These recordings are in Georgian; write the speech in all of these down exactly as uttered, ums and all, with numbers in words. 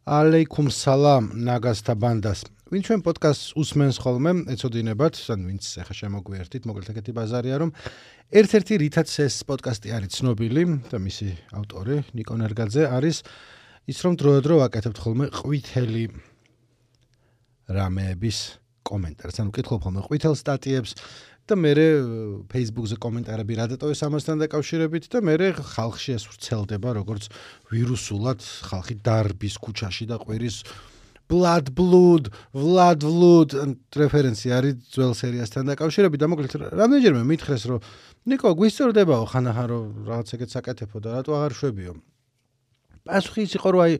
ალეიკუმ სალამ ნაგასთა ბანდას. ვინ ჩვენ პოდკასტს უსმენს ხოლმე, ეცოდინებათ, ან ვინც ახლა შემოგვიერთით, მოკლედ ეგეთი ბაზარია, რომ ერთ-ერთი რითაც ეს პოდკასტი არის ცნობილი და მისი ავტორი ნიკო ნერგაძე არის ის, რომ დროდადრო ვაკეთებთ ხოლმე ყვითელი რამეების კომენტარს, ანუ ვკითხულობ ხოლმე ყვითელ სტატიებს და მერე Facebook-ზე კომენტარები რა დატოვეს ამასთან დაკავშირებით და მერე ხალხში ეს ვრცელდება როგორც ვირუსულად, ხალხი დარბის ქუჩაში და ყვირის blood blood, vlad vlad რეფერენცია არის ძველ სერიასთან დაკავშირებით და მოკლედ რამდენჯერმე მითხრეს რომ ნიკო გვისწორდებაო ხანახან რომ რაღაც ეგეც აკეთებო და რატო აღარ შვებიო. პასუხი ის იყო რომ აი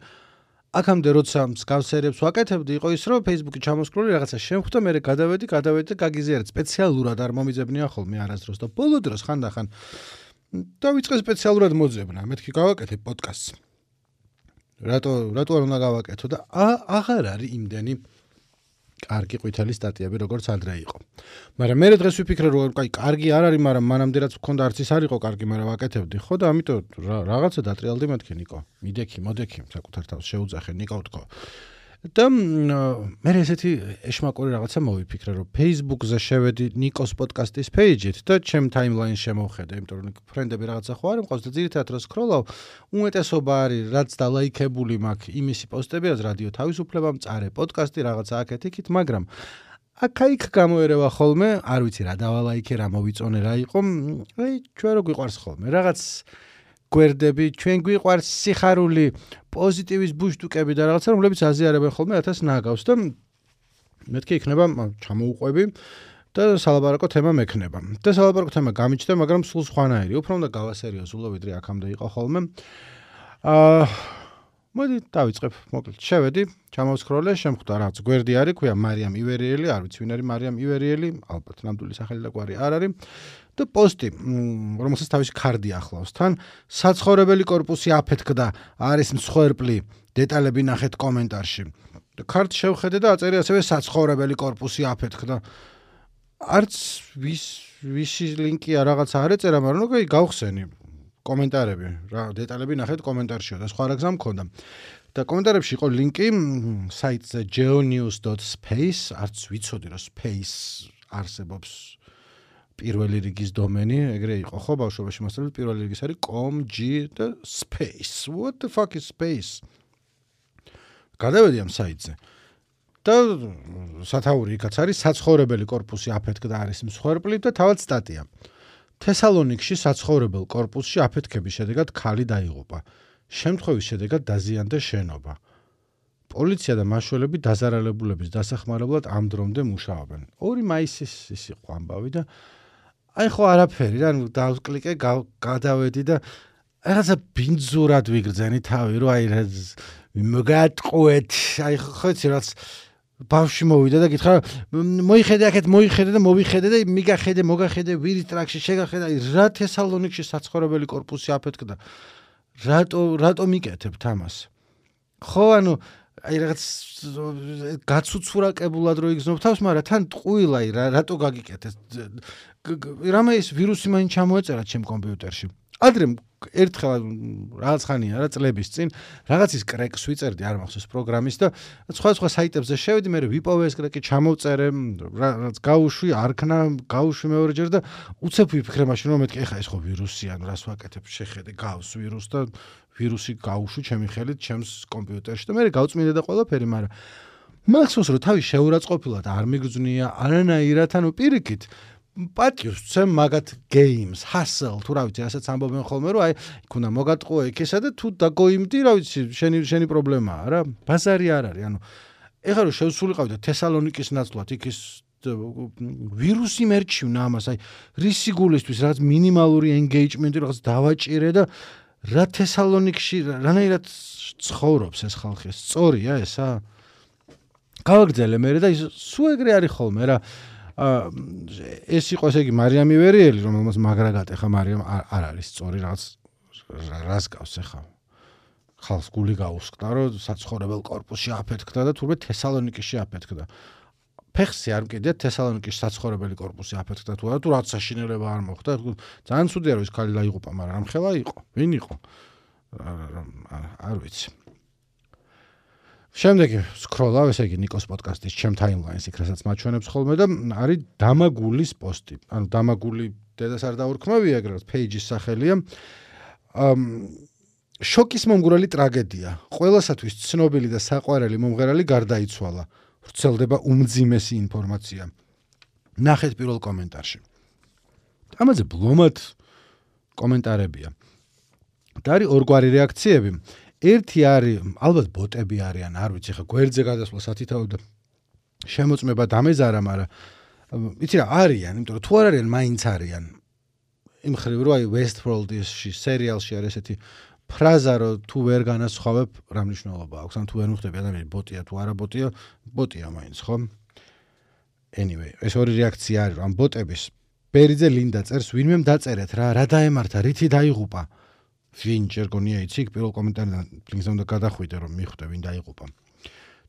აქამდე როცა მსგავს სერიებს ვაკეთებდი იყო ის რომ Facebook-ი ჩამოსკროლი რაღაცა შემხვდა მე გადავედი გადავედი და გაგიზიარეთ სპეციალურად არ მომიძებნია ხოლმე არასდროს და ბოლო დროს ხანდახან დავიწყე სპეციალურად მოძებნა მეთქი გავაკეთე პოდკასტს რატო რატო არ უნდა გავაკეთო და აღარ არის იმდენი კარგი ყვითელი სტატიები როგორც ადრე იყო. მაგრამ მე დღეს ვიფიქრე რომ აი კარგი არ არის, მაგრამ მანამდე რაც მქონდა არც ის არ იყო კარგი, მაგრამ ვაკეთებდი. ხო და ამიტომ რაღაცა დატრიალდი მეთქი ნიკო. მიდექი, მოდექი, საკუთარ თავს შეუძახე ნიკო თქო. და მე ესეთი ეშმაკური რაღაცა მოვიფიქრე რომ Facebook-ზე შევედი ნიკოს პოდკასტის page-ით და ჩემ timeline-ში შემოვხედე, იმიტომ რომ ფრენდები რაღაცა ხო არ მყავს და ძირითადად რო სკროლავ, უმეტესობა არის რაც დალაიქებული მაქვს იმისი პოსტებია რადიო თავისუფლება, მწარე პოდკასტი, რაღაცა აქეთ-იქით, მაგრამ აქა-იქ გამოერევა ხოლმე, არ ვიცი რა დავალაიქე, რა მოვიწონე, რა იყო, აი ჩვენ რო გვიყვარს ხოლმე, რაღაც გვერდები, ჩვენ გვიყვარს სიხარული, პოზიტივის ბუშტუკები და რაღაცა, რომლებიც აზიარებენ ხოლმე ათას ნაგავს და მეთქი იქნება ჩამოუყვები და სალაპარაკო თემა მექნება. და სალაპარაკო თემა გამიჩნდა, მაგრამ სულ სხვანაირი, უფრო უნდა გავასერიოზულო, ვიდრე აქამდე იყო ხოლმე. აა მოდი დავიწყებ, მოკლედ შევედი, ჩამოვსკროლე, შემხვდა რაღაც გვერდი არის, ქვია მარიამ ივერიელი, არ ვიცი ვინ არის მარიამ ივერიელი, ალბათ ნამდვილი სახელი და გვარი არ არის. და პოსტი, რომელსაც თავისი ქარდი ახლავს თან, საცხოვრებელი კორპუსი აფეთქდა, არის მსხვერპლი, დეტალები ნახეთ კომენტარში. და ქარტს შევხედე და აწერია ასევე საცხოვრებელი კორპუსი აფეთქდა. არც ვის ვისი ლინკია რაღაცა არ ეწერა, მაგრამ ნუ გავხსენი კომენტარები, რა დეტალები ნახეთ კომენტარშიო და სხვა რა გზა მქონდა. და კომენტარებში იყო ლინკი საიტზე geonews dot space, არც ვიცოდი რომ space არსებობს. პირველი რიგის დომენი, ეგრე იყო, ხო, ბავშვობაში მასწავლეთ, პირველი რიგის არის com, g და space. What the fuck is space? გადავედი ამ საიტზე. და სათაური იქაც არის საცხოვრებელი კორპუსი აფეთქდა არის მსხვერპლი და თავად სტატია. თესალონიკში საცხოვრებელ კორპუსში აფეთქების შედეგად ქალი დაიღუპა. შემთხვევის შედეგად დაზიანდა შენობა. პოლიცია და მაშველები დაზარალებულების დასახმარებლად ამ დრომდე მუშაობენ. ორი მაისის ის იყო ამბავი და აი ხო არაფერი რა, ნუ დავკლიკე, გადავედი და რაღაცა ბინძურად ვიგრძენი თავი, რომ აი მოგატყუეთ, აი ხო იცი რაც ბავშვი მოვიდა და გითხრა მოიხედე აქეთ, მოიხედე და მოვიხედე და მიგახედე, მოგახედე, ვირის ტრაქში შეგახედე, აი რა თესალონიკში საცხოვრებელი კორპუსი აფეთქდა. რატო რატო მიკეთებთ ამას? ხო ანუ აი რაღაც გაცუცურაკებულად რო იგზნობ თავს, მაგრამ თან ტყუილა აი რატო გაგიკეთეს? რამე ის ვირუსი მაინც ჩამოეწერა ჩემ კომპიუტერში. ადრე ერთხელ რაღაც ხანია რა წლების წინ რაღაცის კრეკს ვიწერდი არ მახსოვს პროგრამის და სხვა სხვა საიტებზე შევედი, მე ვიპოვე ეს კრეკი, ჩამოვწერე, რაღაც გავუშვი, არქნა, გავუშვი მეორეჯერ და უცებ ვიფიქრე მაშინ რომ მეთქი ეხა ეს ხო ვირუსია, ანუ რას ვაკეთებ, შეხედე, გავს ვირუსს და ვირუსი გავუშვი ჩემი ხელით ჩემს კომპიუტერში და მე გავწმინდე და ყველაფერი, მაგრამ მახსოვს რომ თავი შეურაცხყოფილად არ მიგზნია არანაირად, ანუ პირიქით პატიოს ცემ მაგათ games, hustle, თუ რა ვიცი, ასეც ამბობენ ხოლმე, რომ აი, იქ უნდა მოგატყუე იქისა და თუ დაგოიმდი, რა ვიცი, შენი შენი პრობლემაა რა. ბაზარი არ არის, ანუ ეხლა რომ შევსულიყავი და თესალონიკის ნაცვლად იქ ის ვირუსი მერჩივნა ამას, აი, რისი გულისთვის რაღაც მინიმალური engagement-ი რაღაც დავაჭირე და რა თესალონიკში რანაირად ცხოვრობს ეს ხალხი, სწორია ესა? გავაგრძელე მე და სულ ეგრე არის ხოლმე რა. ეს იყო ესე იგი მარიამ ივერიელი, რომელმაც მაგრა გატეხა მარიამ არ არის სწორი რაღაც რას გავს ახლა. ხალხს გული გაუსკდა, რომ საცხოვრებელ კორპუსში აფეთქდა და თურმე თესალონიკიში აფეთქდა. ფეხსი არ მკიდეთ თესალონიკის საცხოვრებელი კორპუსი აფეთქდა თუ არა, თუ რაც საშინელება არ მოხდა. ძალიან ცუდია რომ ეს ქალი დაიღუპა, მაგრამ რამხელა იყო? ვინ იყო? არ ვიცი. შემდეგი სკროლავ, ესე იგი ნიკოს პოდკასტის ჩემ ტაიმლაინს იქ რასაც მაჩვენებს ხოლმე და არის დამაგულის პოსტი. ანუ დამაგული დედას არ დაურქმევია, ეგრეთ პეიჯის სახელია. შოკის მომგვრელი ტრაგედია. ყველასათვის ცნობილი და საყვარელი მომღერალი გარდაიცვალა. ვრცელდება უმძიმესი ინფორმაცია. ნახეთ პირველ კომენტარში. ამაზე ბლომად კომენტარებია. და არის ორგვარი რეაქციები. ერთი არის, ალბათ ბოტები არიან, არ ვიცი, ხა გვერდზე გადასვლა სათითაოდ და შემოწმება დამეზარა, მაგრამ იცი რა არიან, იმიტომ რომ თუ არ არიან, მაინც არიან. იმ ხრივ რო აი Westworld-ში სერიალში არის ესეთი ფრაზა, რომ თუ ვერ განასხვავებ, რა მნიშვნელობა აქვს, ან თუ ვერ მიხვდები ადამიანი ბოტია თუ არა ბოტია, ბოტია მაინც, ხო? Anyway, ეს ორი რეაქცია არის, ამ ბოტების ბერიძე ლინდა წერს, ვინმე დაწერეთ რა, რა დაემართა, რითი დაიღუპა. ვინ ჯერ გონია იცი, პირველ კომენტარიდან ლინკს უნდა გადახვიდე, რომ მიხვდე ვინ დაიღუპა.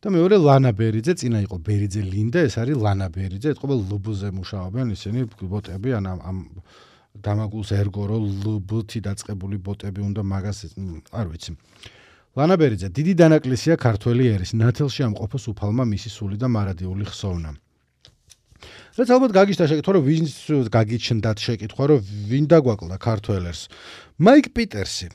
და მეორე ლანა ბერიძე, წინა იყო ბერიძე ლინდა, ეს არის ლანა ბერიძე, ეთყობა ლბ-ზე მუშაობენ ისინი ბოტები, ან ამ დამაგულს ერგო რომ ლბ-თი დაწყებული ბოტები უნდა მაგას არ ვიცი. ლანა ბერიძე, დიდი დანაკლისია ქართველი ერის, ნათელში ამყოფოს უფალმა მისი სული და მარადიული ხსოვნა. რაც ალბათ გაგიჩნდა შეკითხვა, რომ ვინ გაგიჩნდათ შეკითხვა, რომ ვინ დაგვაკლდა ქართველერს. მაიკ პიტერსი.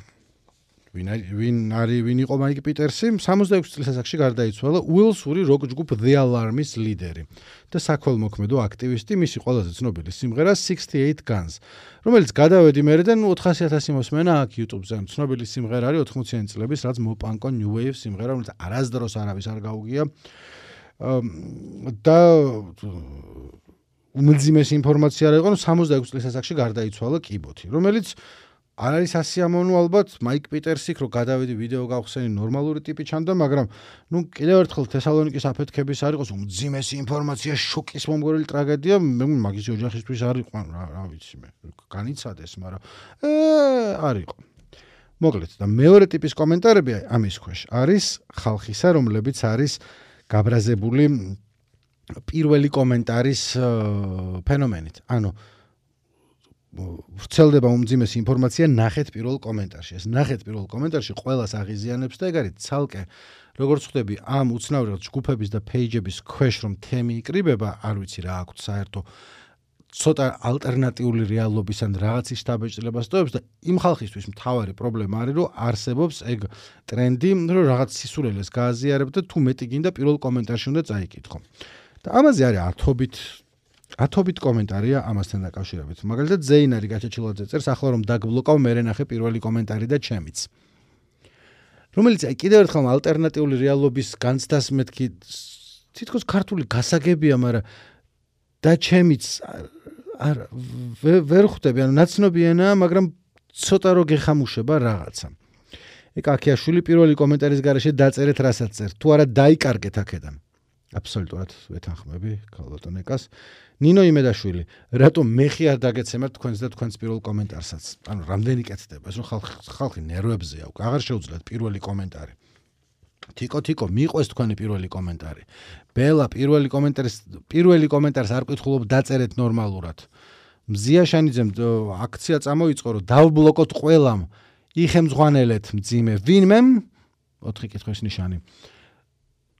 ვინ ვინ არის, ვინ იყო მაიკ პიტერსი? სამოცდაექვსი წლის ასაკში გარდაიცვალა უელსური როკ ჯგუფ The Alarm-ის ლიდერი და საქველმოქმედო აქტივისტი, მისი ყველაზე ცნობილი სიმღერა sixty-eight Guns, რომელიც გადავედი მერე და ოთხასი ათასი მოსმენა აქ YouTube-ზე. ცნობილი სიმღერა არის ოთხმოციანი წლების, რაც მოპანკო New Wave სიმღერა, რომელიც არასდროს არავის არ გაუგია. და უმძიმესი ინფორმაცია რა იყო, რომ სამოცდაექვსი წლის ასაკში გარდაიცვალა კიბოთი, რომელიც არ არის ასიამოვნო ალბათ, მაიკ პიტერსი, რომ გადავედი ვიდეო გავხსენი ნორმალური ტიპი ჩანდა, მაგრამ ნუ კიდევ ერთხელ თესალონიკის აფეთქების არ იყოს უმძიმესი ინფორმაცია, შოკის მომგვრელი ტრაგედია, მე მაგის ოჯახისთვის არ იყო, რა, რა ვიცი მე, განიცადეს, მაგრამ ე არ იყო. მოკლედ და მეორე ტიპის კომენტარები ამის ქვეშ არის ხალხისა, რომლებიც არის გაბრაზებული პირველი კომენტარის ფენომენით. ანუ ვრცელდება უმძიმესი ინფორმაცია ნახეთ პირველ კომენტარში. ეს ნახეთ პირველ კომენტარში ყველას აღიზიანებს და ეგ არის ცალკე როგორც ხვდები ამ უცნაური ჯგუფების და პეიჯების ქვეშ რომ თემი იკრიბება, არ ვიცი რა აქვს საერთო ცოტა ალტერნატიული რეალობის ან რაღაცის შთაბეჭდილებას ტოვებს და იმ ხალხისთვის მთავარი პრობლემა არის რომ არსებობს ეგ ტრენდი რომ რაღაც სისულელეს გააზიარებ და თუ მეტი გინდა პირველ კომენტარში უნდა წაიკითხო. და ამაზე არის ათობით ათობით კომენტარია ამასთან დაკავშირებით. მაგალითად ზეინარი გაჩეჩილაძე წერს, ახლა რომ დაგბლოკავ, მე ნახე პირველი კომენტარი და ჩემიც. რომელიც აი კიდევ ერთხელ ალტერნატიული რეალობის განცდას მეთქი თითქოს ქართული გასაგებია, მაგრამ და ჩემიც არ ვერ ხვდები, ანუ ნაცნობი ენაა, მაგრამ ცოტა რო გეხამუშება რაღაცა. ეგ აქიაშვილი პირველი კომენტარის გარეშე დაწერეთ რასაც წერთ, თუ არა დაიკარგეთ აქედან. აბსოლუტურად ვეთანხმები ქალბატონეკას. ნინო იმედაშვილი, რატომ მეხი არ დაგეცემათ თქვენს და თქვენს პირველ კომენტარსაც? ანუ რამდენი კეთდება, ეს რომ ხალხი ნერვებზეა, აღარ შეუძლიათ პირველი კომენტარი. თიკო თიკო მიყვეს თქვენი პირველი კომენტარი. ბელა პირველი კომენტარის პირველი კომენტარს არ ყვითხულობ დაწერეთ ნორმალურად. მზია შანიძემ აქცია წამოიწყო რომ დავბლოკოთ ყველამ. იხემძღვანელეთ მძიმე ვინმემ ოთხი კითხვის ნიშანი.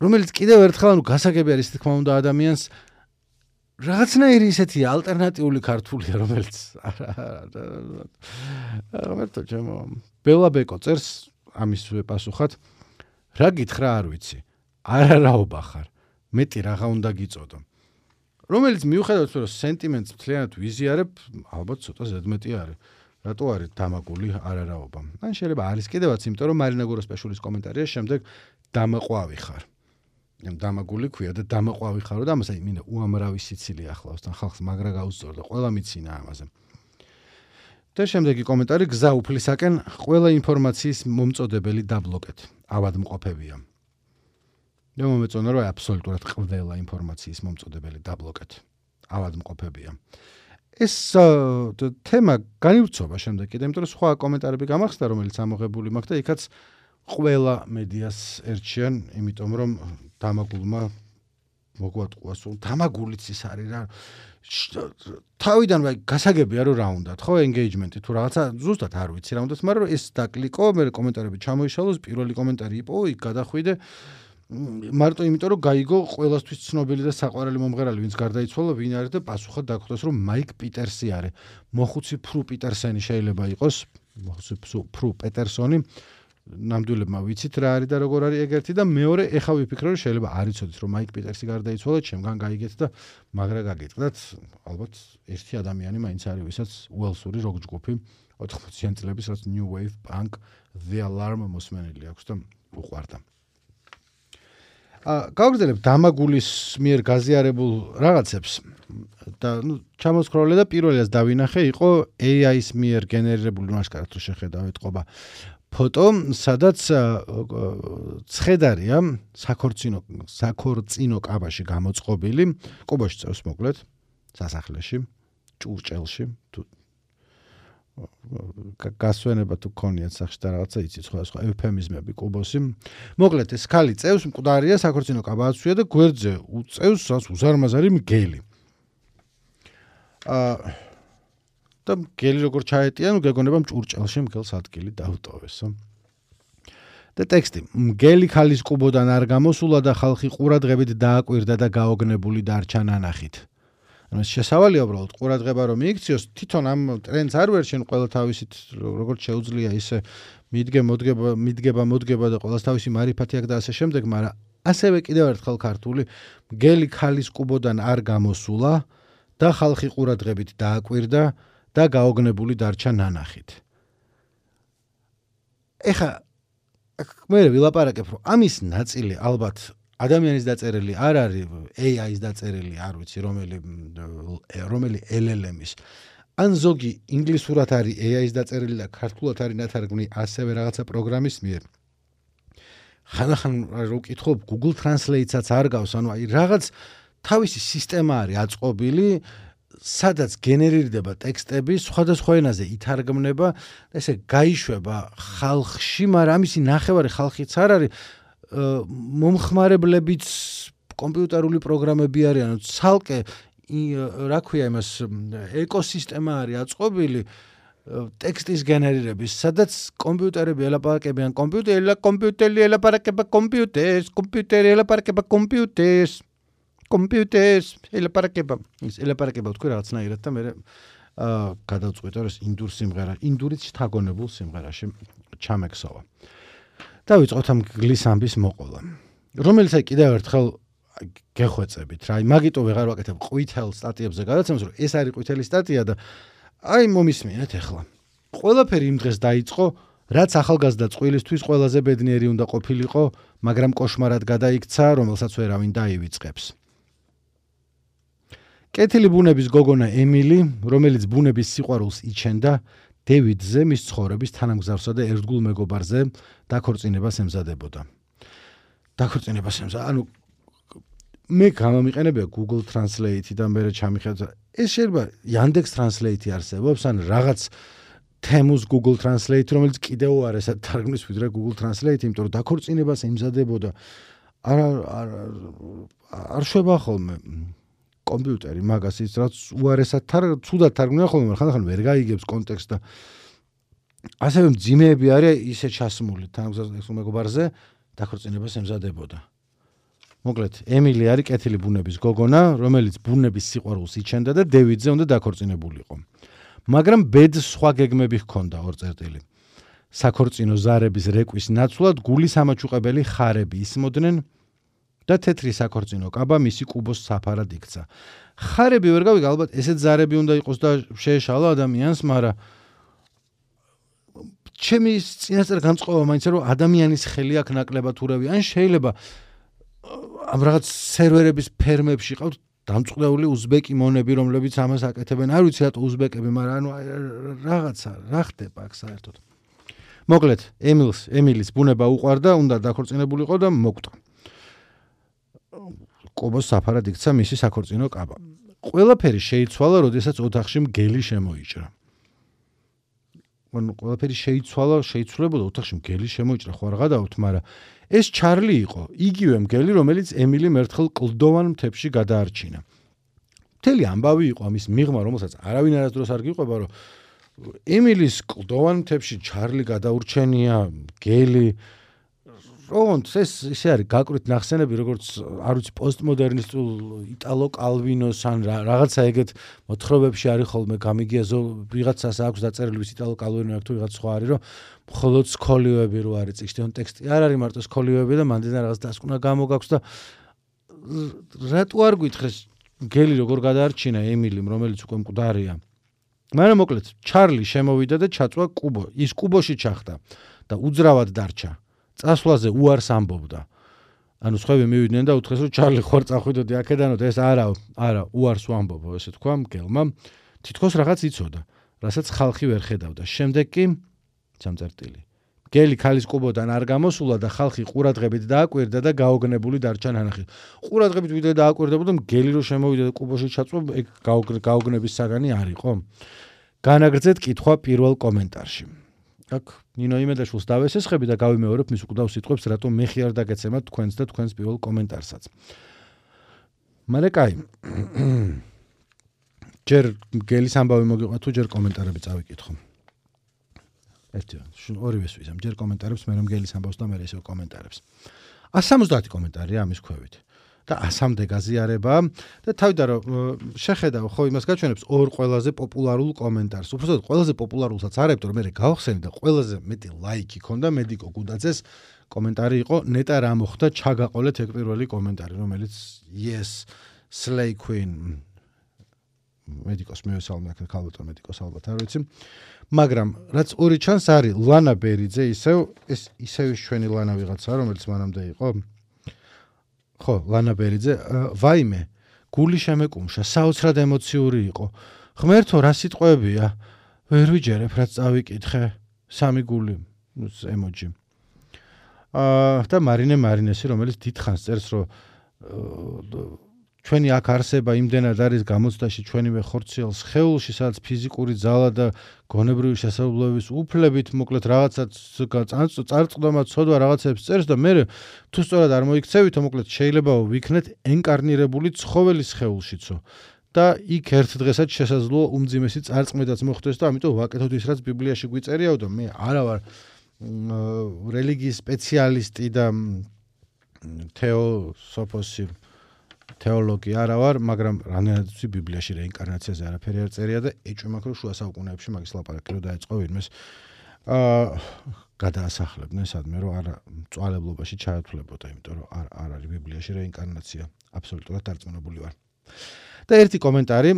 რომელიც კიდევ ერთხელ ანუ გასაგები არის თქმა უნდა ადამიანს რაღაცნაირი ისეთი ალტერნატიული ქართულია, რომელიც რომელთო ჩემო ბელა ბეკო წერს ამის პასუხად რა გითხრა არ ვიცი. არარაობა ხარ. მეტი რაღა უნდა გიწოდო. რომელიც მიუხედავად რომ სენტიმენტს მთლიანად ვიზიარებ, ალბათ ცოტა ზედმეტი არის. რატო არის დამაგული არარაობა? ან შეიძლება არის კიდევაც, იმიტომ რომ მარინა გუროსპაშვილის კომენტარია შემდეგ დამაყვავი ხარ. ამ დამაგული ქვია და დამაყვავი ხარო და ამას აი მინდა უამრავი სიცილი ახლავს თან ხალხს მაგრა გაუსწორდა ყველა მიცინა ამაზე. და შემდეგი კომენტარი გზა უფლისაკენ ყველა ინფორმაციის მომწოდებელი დაბლოკეთ. ავადმყოფებია. და მომეწონა რომ აბსოლუტურად ყველა ინფორმაციის მომწოდებელი დაბლოკეთ. ავადმყოფებია. ეს თემა განივრცობა შემდეგ კიდე, იმიტომ რომ სხვა კომენტარები გამახსდა, რომელიც ამოღებული მაქვს და იქაც ყველა მედიას ერჩიან, იმიტომ რომ დამაგულმა მოგვატყუა სულ დამაგულიც ის არის რა. თავიდან ვაი გასაგებია რომ რა უნდათ, ხო, ენგეიჯმენტი თუ რაღაცა ზუსტად არ ვიცი რა უნდათ, მაგრამ ეს დაკლიკო, მე კომენტარები ჩამოიშალოს, პირველი კომენტარი იყო, იქ გადახვიდე. მარტო იმიტომ რომ გაიგო ყველასთვის ცნობილი და საყვარელი მომღერალი ვინც გარდაიცვალა ვინ არის და პასუხად დაგხვდეს რომ მაიკ პიტერსი არის მოხუცი ფრუ პიტერსენი შეიძლება იყოს მოხუცი ფრუ პეტერსონი ნამდვილებმა ვიცით რა არის და როგორ არის ეგერთი და მეორე ეხა ვიფიქრე რომ შეიძლება არ იცოდით რომ მაიკ პიტერსი გარდაიცვალა ჩემგან გაიგეთ და მაგრა გაგიტყდათ ალბათ ერთი ადამიანი მაინც არის ვისაც უელსური როკ ჯგუფი ოთხმოციანი წლების რაც new wave punk the alarm მოსმენილი აქვს და უყვარდა ა გავგრძელებ დამაგულის მიერ გაზიარებულ რაღაცებს და ნუ ჩამოსკროლე და პირველი რაც დავინახე იყო A I-ის მიერ გენერირებული მასკარად რო შეხედავ ეთყობა ფოტო სადაც ცხედარია საქორწინო საქორწინო კაბაში გამოწყობილი კუბოში წევს მოკლედ სასახლეში ჭურჭელში თუ გასვენება თუ ქონიათ სახში და რაღაცა იცით სხვა სხვა ევფემიზმები კუბოსი მოკლედ ეს ქალი წევს მკვდარია საქორწინო კაბა აცვია და გვერდზე უწევს რაც უზარმაზარი მგელი აა და მგელი როგორ ჩაეტია ნუ გეგონება ჭურჭელში მგელს ადგილი დაუტოვესო და ტექსტი მგელი ქალის კუბოდან არ გამოსულა და ხალხი ყურადღებით დააკვირდა და გაოგნებული დარჩა ნანახით ანუ შესავალია უბრალოდ ყურადღება რომ მიიქციოს თვითონ ამ ტრენდს არ ვერჩენ ყველა თავისით როგორც შეუძლია ისე მიდგე მოდგება მიდგება მოდგება და ყველას თავისი მარიფათი აქვს და ასე შემდეგ მაგრამ ასევე კიდევ ერთხელ ქართული მგელი ქალის კუბოდან არ გამოსულა და ხალხი ყურადღებით დააკვირდა და გაოგნებული დარჩა ნანახით ეხა მე ვილაპარაკებ რომ ამის ნაწილი ალბათ ადამიანის დაწერილი არ არის A I-ის დაწერილი არ ვიცი რომელი რომელი L L M-ის ან ზოგი ინგლისურად არის A I-ის დაწერილი და ქართულად არის ნათარგმნი ასევე რაღაცა პროგრამის მიერ ხანახან რო ვკითხულობ Google Translate-საც არ გავს ანუ აი რაღაც თავისი სისტემა არის აწყობილი სადაც გენერირდება ტექსტები სხვადასხვა ენაზე ითარგმნება ესე გაიშვება ხალხში მაგრამ ამისი ნახევარი ხალხიც არ არის მომხმარებლებიც კომპიუტერული პროგრამები არიან ცალკე რა ქვია იმას ეკოსისტემა არის აწყობილი ტექსტის გენერირების სადაც კომპიუტერები ელაპარაკებიან კომპიუტერი კომპიუტერი ელაპარაკება კომპიუტერს კომპიუტერი ელაპარაკება კომპიუტერს კომპიუტერს ელაპარაკება ის ელაპარაკება თქვი რაღაცნაირად და მე აა გადავწყვიტე რომ ეს ინდურ სიმღერა ინდურით შთაგონებულ სიმღერაში ჩამექსოვა დავიწყოთ ამ გლის ამბის მოყოლა რომელიც აი კიდევ ერთხელ გეხვეწებით რა აი მაგიტო ვეღარ ვაკეთებ ყვითელ სტატიებზე გადაცემას რომ ეს არის ყვითელი სტატია და აი მომისმინეთ ახლა ყველაფერი იმ დღეს დაიწყო რაც ახალგაზრდა წვილისთვის ყველაზე ბედნიერი უნდა ყოფილიყო მაგრამ კოშმარად გადაიქცა რომელსაც ვერავინ დაივიწყებს კეთილი ბუნების გოგონა ემილი რომელიც ბუნების სიყვარულს იჩენდა დევიდზე მის ცხოვრების თანამგზავრსა და ერთგულ მეგობარზე დაქორწინებას ემზადებოდა. დაქორწინებას ემზადა. ანუ მე გამომიყენებია Google Translate და მე ჩამიხედა. ეს შეიძლება Yandex Translate არსებობს ან რაღაც თემუს Google Translate რომელიც კიდევ უარესად თარგმნის ვიდრე Google Translate, იმიტომ რომ დაქორწინებას ემზადებოდა. არ არ არ შვება ხოლმე კომპიუტერი მაგას ის რაც უარესად ცუდად თარგმნია ხოლმე, ხანდახან ვერ გაიგებს კონტექსტს და ასევე მძიმეები არის ისე ჩასმული თანამგზავრს მეგობარზე დაქორწინებას ემზადებოდა. მოკლედ, ემილი არის კეთილი ბუნების გოგონა, რომელიც ბუნების სიყვარულს იჩენდა და დევიდზე უნდა დაქორწინებულიყო. მაგრამ ბედს სხვა გეგმები ჰქონდა ორ წერტილი. საქორწინო ზარების რეკვის ნაცვლად გულის ამაჩუყებელი ხარები ისმოდნენ და თეთრი საქორწინო კაბა მისი კუბოს საფარად იქცა. ხარები ვერ გავიგე, ალბათ ესეთ ზარები უნდა იყოს და შეეშალა ადამიანს, მაგრამ ჩემი წინასწარ განწყობა მაინც რომ ადამიანის ხელი აქვს ნაკლებად ურავი, ან შეიძლება ამ რაღაც სერვერების ფერმებში ყავთ დამწყდეული უზბეკი მონები, რომლებიც ამას აკეთებენ. არ ვიცი რატო უზბეკები, მაგრამ ანუ რაღაცა რა ხდება აქ საერთოდ. მოკლედ, ემილს, ემილის ბუნება უყვარდა, უნდა დაქორწინებულიყო და მოკვდა. კუბოს საფარად იქცა მისი საქორწინო კაბა. ყველაფერი შეიცვალა, როდესაც ოთახში მგელი შემოიჭრა. ანუ ყველაფერი შეიცვალა, შეიცვლებოდა ოთახში მგელი შემოიჭრა, ხო არ გადავთ, მაგრამ ეს ჩარლი იყო, იგივე მგელი, რომელიც ემილიმ ერთხელ კლდოვან მთებში გადაარჩინა. მთელი ამბავი იყო ამის მიღმა, რომელსაც არავინ არასდროს არ გიყვება, რომ ემილის კლდოვან მთებში ჩარლი გადაურჩენია, მგელი, ოღონდ ეს ისე არის გაკვირთ ნახსენები, როგორც არ ვიცი პოსტმოდერნისტულ იტალო კალვინოს ან რაღაცა ეგეთ მოთხრობებში არის ხოლმე გამიგია ვიღაცას აქვს დაწერილი ვის იტალო კალვინო აქვს თუ ვიღაც სხვა არის, რომ მხოლოდ სკოლიოები რო არის წიგნში, ან ტექსტი არ არის მარტო სკოლიოები და მანდიდან რაღაც დასკვნა გამოგაქვს და რატო არ გითხეს გელი როგორ გადაარჩინა ემილიმ, რომელიც უკვე მკვდარია. მაგრამ მოკლედ ჩარლი შემოვიდა და ჩაწვა კუბო. ის კუბოში ჩახდა და უძრავად დარჩა. წასვლაზე უარს ამბობდა. ანუ სხვები მივიდნენ და უთხრეს რომ ჩარლი ხوار წახვიდოდი აქედანო და ეს არა, არა, უარს ვამბობო, ესე თქვა მგელმა. თითქოს რაღაც იცოდა, რასაც ხალხი ვერ ხედავდა. შემდეგ კი სამწერტილი. გელი ქალის კუბოდან არ გამოსულა და ხალხი ყურადღებით დააკვირდა და გაოგნებული დარჩა ნანახი. ყურადღებით ვიდრე დააკვირდებოდა, გელი რო შემოვიდა და კუბოში ჩაწვა, ეგ გაოგნების საგანი არ იყო. განაგრძეთ კითხვა პირველ კომენტარში. აქ ნინო იმედაშვილს დავესესხები და გავიმეორებ მის უკვდავ სიტყვებს, რატომ მე ხი არ დაგეცემათ თქვენს და თქვენს პირველ კომენტარსაც. მაგრამ კაი. ჯერ გელის ამბავი მოგიყვა თუ ჯერ კომენტარები წავიკითხო. ერთი ორივეს ვიზამ, ჯერ კომენტარებს, მე რომ გელის ამბავს და მე ისევ კომენტარებს. one seventy კომენტარია ამის ქვევით. და one-მდე გაზიარება და თავიდან რომ შეხედავ ხო იმას გაჩვენებს ორ ყველაზე პოპულარულ კომენტარს. უბრალოდ ყველაზე პოპულარულსაც არებთ, რომ მე გავხსენი და ყველაზე მეტი ლაიქი ქონდა მედიკო გუდაძეს კომენტარი იყო ნეტა რა მოხდა ჩაგაყოლეთ ეგ პირველი კომენტარი, რომელიც yes slay queen მედიკოს მივესალმე აქ ქალბატონ მედიკოს ალბათ არ ვიცი. მაგრამ რაც ორი ჩანს არის ლანა ბერიძე ისევ ეს ისევ ჩვენი ლანა ვიღაცა რომელიც მანამდე იყო. ხო, ლანა ბერიძე, ვაიმე, გული შემეკუმშა, საოცრად ემოციური იყო. ღმერთო, რა სიტყვებია? ვერ ვიჯერებ, რაც წავიკითხე. სამი გული, ემოჯი. აა და მარინე მარინესი, რომელიც დიდხანს წერს, რომ ჩვენი აქ არსება იმდენად არის გამოცდაში ჩვენივე ხორციელ სხეულში, სადაც ფიზიკური ძალა და გონებრივი შესაძლებლობების უფლებით, მოკლედ რაღაცაც წარწყდომა, ცოდვა რაღაცებს წერს და მე თუ სწორად არ მოიქცევითო, მოკლედ შეიძლება ვიქნეთ ენკარნირებული ცხოველი სხეულშიცო. და იქ ერთ დღესაც შესაძლოა უმძიმესი წარწმედაც მოხდეს და ამიტომ ვაკეთოთ ის, რაც ბიბლიაში გვიწერიაო და მე არა ვარ რელიგიის სპეციალისტი და თეოსოფოსი თეოლოგი არა ვარ, მაგრამ რამდენადაც ბიბლიაში რეინკარნაციაზე არაფერი არ წერია და ეჭვი მაქვს რომ შუა საუკუნეებში მაგის ლაპარაკი რო დაეწყო ვინმეს აა გადაასახლებდნენ სადმე რომ არ მწვალებლობაში ჩაათვლებოდა, იმიტომ რომ არ არ არის ბიბლიაში რეინკარნაცია, აბსოლუტურად დარწმუნებული ვარ. და ერთი კომენტარი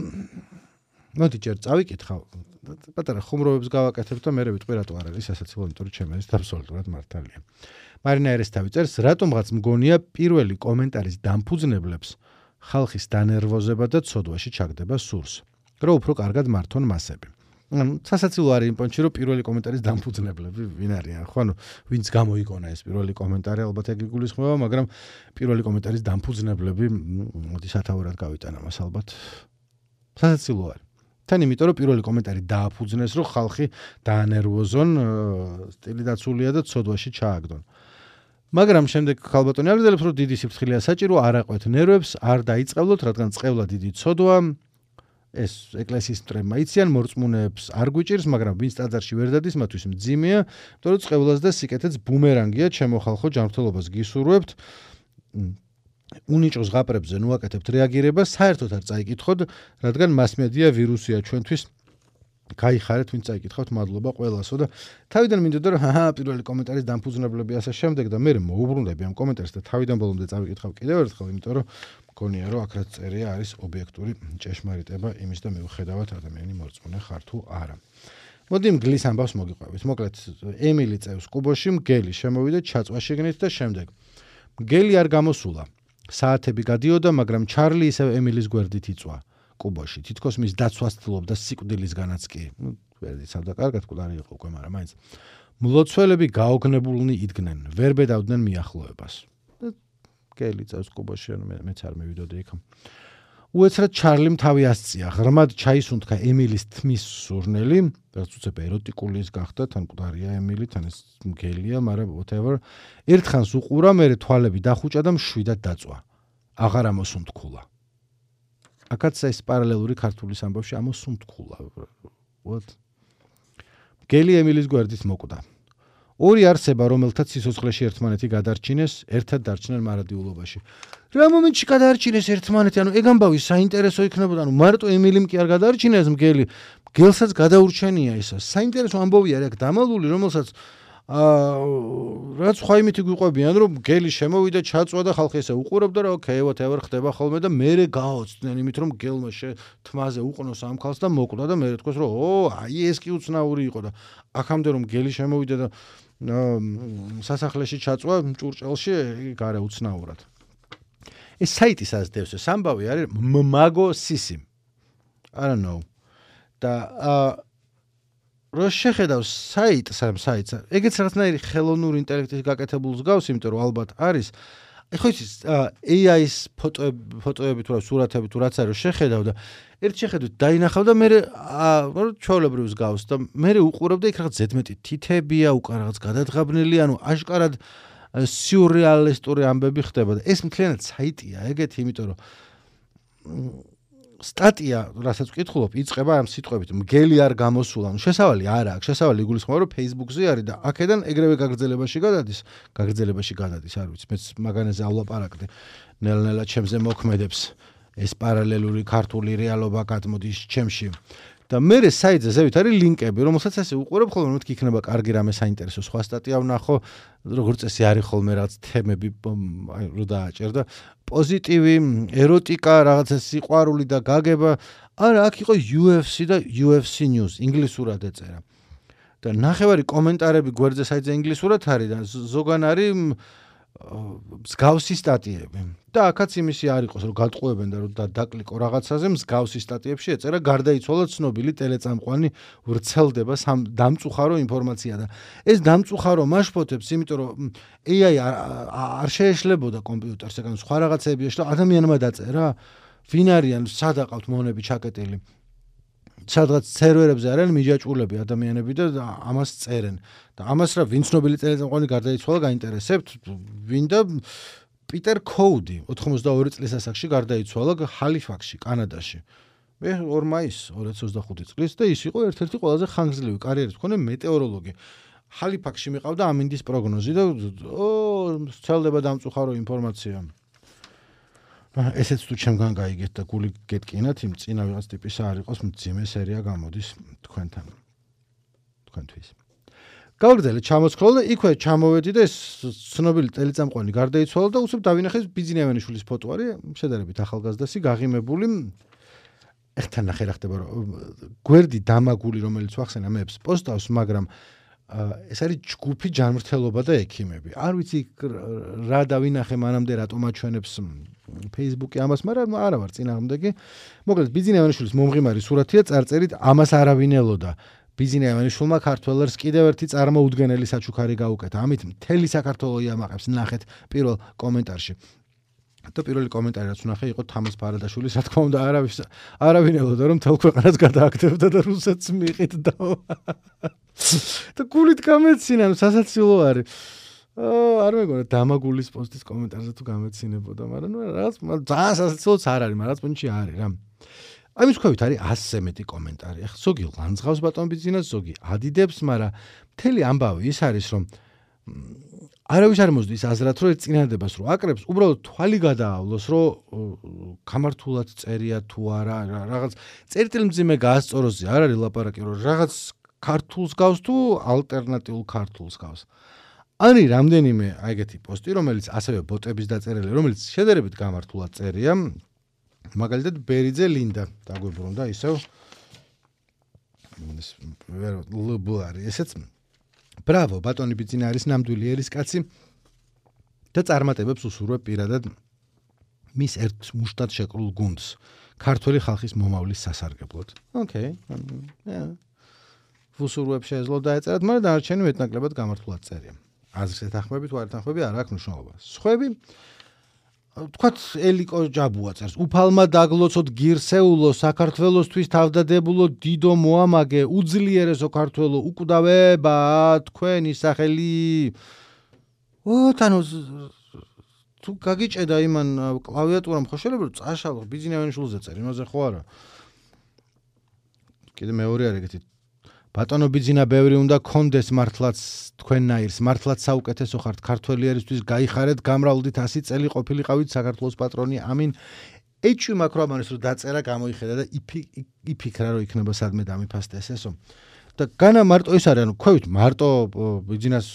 მოდი ჯერ წავიკითხავ, პატარა ხუმრობებს გავაკეთებ და მე ვიტყვი რატო არ არის სასაცილო, იმიტომ რომ ჩემს აბსოლუტურად მართალია. მარინა ერესთავი წერს, რატომღაც მგონია პირველი კომენტარის დამფუძნებლებს ხალხის დანერვოზება და ცოდვაში ჩაგდება სურს, რომ უფრო კარგად მართონ მასები. სასაცილო არის იმ პონჩი, რომ პირველი კომენტარის დამფუძნებლები ვინ არიან? ხო, ანუ ვინც გამოიგონა ეს პირველი კომენტარი, ალბათ ეგ იგულისხმება, მაგრამ პირველი კომენტარის დამფუძნებლები, მოდი სათაურად გავიტანა მას ალბათ. სასაცილო არის. თან იმიტომ რომ პირველი კომენტარი დააფუძნეს, რომ ხალხი დაანერვოზონ, სტილი დაცულია და ცოდვაში ჩააგდონ. მაგრამ შემდეგ ქალბატონი აგრძელებს, რომ დიდი სიფრთხილეა საჭირო, არ აყვეთ ნერვებს, არ დაიწყებლოთ, რადგან წყევლა დიდი ცოდვა, ეს ეკლესიის მტრებმა იციან, მორწმუნეებს არ გვიჭირს, მაგრამ ვინც ტაძარში ვერ დადის, მათთვის მძიმეა, იმიტომ რომ წყევლას და სიკეთეც ბუმერანგია, ჩემო ხალხო, ჯანმრთელობას გისურვებთ. უნიჭოს ზღაპრებზე ნუაკეთებთ რეაგირებას, საერთოდ არ წაიკითხოთ, რადგან მასმედია ვირუსია ჩვენთვის. გაიხარეთ, ვინც წაიკითხავთ, მადლობა ყველასო და თავიდან მინდოდა რომ ჰაჰა, პირველი კომენტარის დამფუძნებლები ასე შემდეგ და მე მოუბრუნდები ამ კომენტარს და თავიდან ბოლომდე წავიკითხავ კიდევ ერთხელ, იმიტომ რომ მგონია რომ აქ რაც წერია არის ობიექტური ჭეშმარიტება იმის და მიუხედავად ადამიანი მორწმუნე ხარ თუ არა. მოდი მგლის ამბავს მოგიყვებით. მოკლედ ემილი წევს კუბოში, მგელი შემოვიდა ჩაწვა შიგნით და შემდეგ მგელი არ გამოსულა. საათები გადიოდა, მაგრამ ჩარლი ისევ ემილის გვერდით იწვა კუბოში. თითქოს მის დაცვას ცდილობდა სიკვდილისგანაც კი. ნუ ვერ იცავდა კარგად, კულარი იყო უკვე, მაგრამ მაინც მლოცველები გაოგნებულნი იდგნენ, ვერ ბედავდნენ მიახლოებას. და მგელი წევს კუბოში, ანუ მეც არ მივიდოდი იქ. უეცრად ჩარლიმ თავი ასწია, ღრმად ჩაისუნთქა ემილის თმის სურნელი, რაც უცებ ეროტიკული ის გახდა, თან კულარია ემილი, თან ეს მგელია, მაგრამ whatever. ერთხანს უყურა, მერე თვალები დახუჭა და მშვიდად დაწვა. აღარ ამოსუნთქულა. აქაც ეს პარალელური ქართული ამბავში ამოსუნთქულა. What? მგელი ემილის გვერდით მოკვდა. ორი არსება, რომელთაც სიცოცხლეში ერთმანეთი გადარჩინეს, ერთად დარჩნენ მარადიულობაში. რა მომენტში გადარჩინეს ერთმანეთი, ანუ ეგ ამბავი საინტერესო იქნებოდა, ანუ მარტო ემილიმ კი არ გადარჩინეს მგელი, მგელსაც გადაურჩენია ისა. საინტერესო ამბავია რა დამალული, რომელსაც აა რაც სხვა იმითი გვიყვებიან, რომ მგელი შემოვიდა, ჩაწვა და ხალხი ესე უყურებდა, რომ ოკეი, whatever ხდება ხოლმე და მერე გაოცდნენ იმით, რომ მგელმა თმაზე უყნოს ამ ხალხს და მოკვდა და მერე თქვეს, რომ ო, აი ეს კი უცნაური იყო და აქამდე რომ მგელი შემოვიდა და სასახლეში ჩაწვა ჭურჭელში გარე უცნაურად. ეს საიტი საზდევს, ეს ამბავი არის მაგო სისი. I don't know. და აა რო შეხედავს საიტს, ამ საიტს, ეგეც რაღაცნაირი ხელოვნური ინტელექტის გაკეთებულს გავს, იმიტომ რომ ალბათ არის. ხო იცის, A I-ის ფოტოები, ფოტოები თუ სურათები თუ რაც არის, შეხედავ და ერთ შეხედვით დაინახავ და მე ჩვეულებრივს გავს და მე უყურებ და იქ რაღაც ზედმეტი თითებია, უკან რაღაც გადადღაბნილი, ანუ აშკარად სიურრეალისტური ამბები ხდება და ეს მთლიანად საიტია, ეგეთი, იმიტომ რომ სტატია, რასაც ვკითხულობ, იწყება ამ სიტყვებით, მგელი არ გამოსულა, ანუ შესავალი არ აქვს, შესავალი იგულისხმება, რომ Facebook-ზე არის და აქედან ეგრევე გაგრძელებაში გადადის, გაგრძელებაში გადადის, არ ვიცი, მეც მაგანაზე ავლაპარაკდი, ნელ-ნელა ჩემზე მოქმედებს ეს პარალელური ქართული რეალობა გადმოდის ჩემში. და მე საიტზე ზევით არის ლინკები, რომელსაც ესე უყურებ ხოლმე, რომ მეთქი იქნება კარგი რამე საინტერესო სხვა სტატია ვნახო, როგორც წესი არის ხოლმე რაღაც თემები, აი რო დააჭერ და პოზიტივი, ეროტიკა, რაღაცა სიყვარული და გაგება. არა, აქ იყო U F C და U F C News, ინგლისურად ეწერა. და ნახევარი კომენტარები გვერდზე საიტზე ინგლისურად არის და ზოგან არის მსგავსი სტატიები. და აქაც იმისი არ იყოს, რომ გადყვებენ და რომ დაკლიკო რაღაცაზე, მსგავსი სტატიებში ეწერა გარდაიცვალა ცნობილი ტელეწამყვანი, ვრცელდება დამწუხარო ინფორმაცია და ეს დამწუხარო მაშფოთებს, იმიტომ რომ A I არ შეეშლებოდა კომპიუტერს, ეგ სხვა რაღაცები ეშლა, ადამიანმა დაწერა, ვინ არიან, სად აყავთ მონები ჩაკეტილი. სადღაც სერვერებზე არიან მიჯაჭვულები ადამიანები და ამას წერენ. და ამას რა ვინ ცნობილი ტელეწამყვანი გარდაიცვალა, გაინტერესებთ, ვინ და პიტერ კოუდი ოცდაორი წლის ასაკში გარდაიცვალა ჰალიფაქსში, კანადაში. მე ორ მაისს ორი ათას ოცდახუთი წლის და ის იყო ერთ-ერთი ყველაზე ხანგრძლივი კარიერის მქონე მეტეოროლოგი. ჰალიფაქსში მიყავდა ამინდის პროგნოზი და ო, ცელდება დამწუხარო ინფორმაცია. ესეც თუ ჩემგან გაიგეთ და გული გეტკინათ, იმ წინა ვიღაც ტიპისა არ იყოს, მძიმე სერია გამოდის თქვენთან. თქვენთვის. გავგრძელე ჩამოსქროლ და იქვე ჩამოვედი და ეს ცნობილი ტელეწამყვანი გარდაიცვალა და უცებ დავინახე ბიძინიავენიშვილის ფოტო არის, შედარებით ახალგაზრდასი, გაღიმებული. ეხთან ნახე რა ხდება, რომ გვერდი დამაგული, რომელიც ვახსენა მეებს პოსტავს, მაგრამ ეს არის ჯგუფი ჯანმრთელობა და ექიმები. არ ვიცი რა დავინახე მანამდე რატომ აჩვენებს Facebook-ი ამას, მაგრამ არა ვარ წინააღმდეგი. მოკლედ ბიძინიავენიშვილის მომღიმარი სურათია, წარწერით ამას არავინ ელოდა. ბიძინიავენიშვილმა ქართველებს კიდევ ერთი წარმოუდგენელი საჩუქარი გაუკეთა. ამით მთელი საქართველო იამაყებს, ნახეთ პირველ კომენტარში. და პირველი კომენტარი რაც ვნახე იყო თამაზ ფარადაშვილის, რა თქმა უნდა, არავის არავინ ელოდა რომ მთელ ქვეყანას გადააკეთებდა და რუსეთს მიიყიდდა. და გულით გამეცინა, სასაცილო არის. არ მეგონა დამაგულის პოსტის კომენტარზე თუ გამეცინებოდა, მაგრამ რაღაც ძალიან სასაცილოც არ არის, მაგრამ პონჩი არის რა. ამის ქვევით არის ასზე მეტი კომენტარი. ახლა ზოგი ლანძღავს ბატონ ბიძინას, ზოგი ადიდებს, მაგრამ მთელი ამბავი ის არის, რომ არავის არ მოსდის აზრად, რომ წინადებას რო აკრებს, უბრალოდ თვალი გადაავლოს, რომ გამართულად წერია თუ არა, რაღაც წერტილმძიმე გაასწოროზე არ არის ლაპარაკი, რომ რაღაც ქართულს გავს თუ ალტერნატიულ ქართულს გავს. არის რამდენიმე აი ეგეთი პოსტი, რომელიც ასევე ბოტების დაწერილი, რომელიც შედარებით გამართულად წერია. მაგალითად ბერიძე ლინდა დაგვიბრუნდა ისევ ეს ვერ ლუბლარი ესეც ბრავო ბატონი ბიძინა არის ნამდვილი ერისკაცი და წარმატებებს უსურვებ პირადად მის ერთ მუშტად შეკრულ გუნდს ქართული ხალხის მომავლის სასარგებლოდ. ოკეი. უსურვებ შეეძლო დაეწერათ, მაგრამ დანარჩენი მეტნაკლებად გამართულად წერია. აზრს ეთანხმებით, თუ არ ეთანხმები, არ აქვს მნიშვნელობა. სხვები თქვათ ელიკო ჯაბუა წერს. უფალმა დაგლოცოთ გირსეულო საქართველოსთვის თავდადებულო დიდო მოამაგე უძლიერესო ქართველო უკვდავება თქვენი სახელი. ო თანო თუ გაგიჭედა იმან კლავიატურამ ხო შეიძლება რომ წაშალო ბიძინიავენიშვილზე წერ იმაზე ხო არა. კიდე მეორე არის ეგეთი ბატონო ბიძინა ბევრი უნდა კონდეს მართლაც თქვენნაირს მართლაც საუკეთესო ხართ ქართველი ერისთვის გაიხარეთ გამრავლდით ასი წელი ყოფილიყავით საქართველოს პატრონი ამინ ეჭვი მაქვს რომ ამას რომ დაწერა გამოიხედა და იფიქრა რომ იქნება სადმე დამიფასტე ესესო და განა მარტო ეს არის ანუ ქვევით მარტო ბიძინას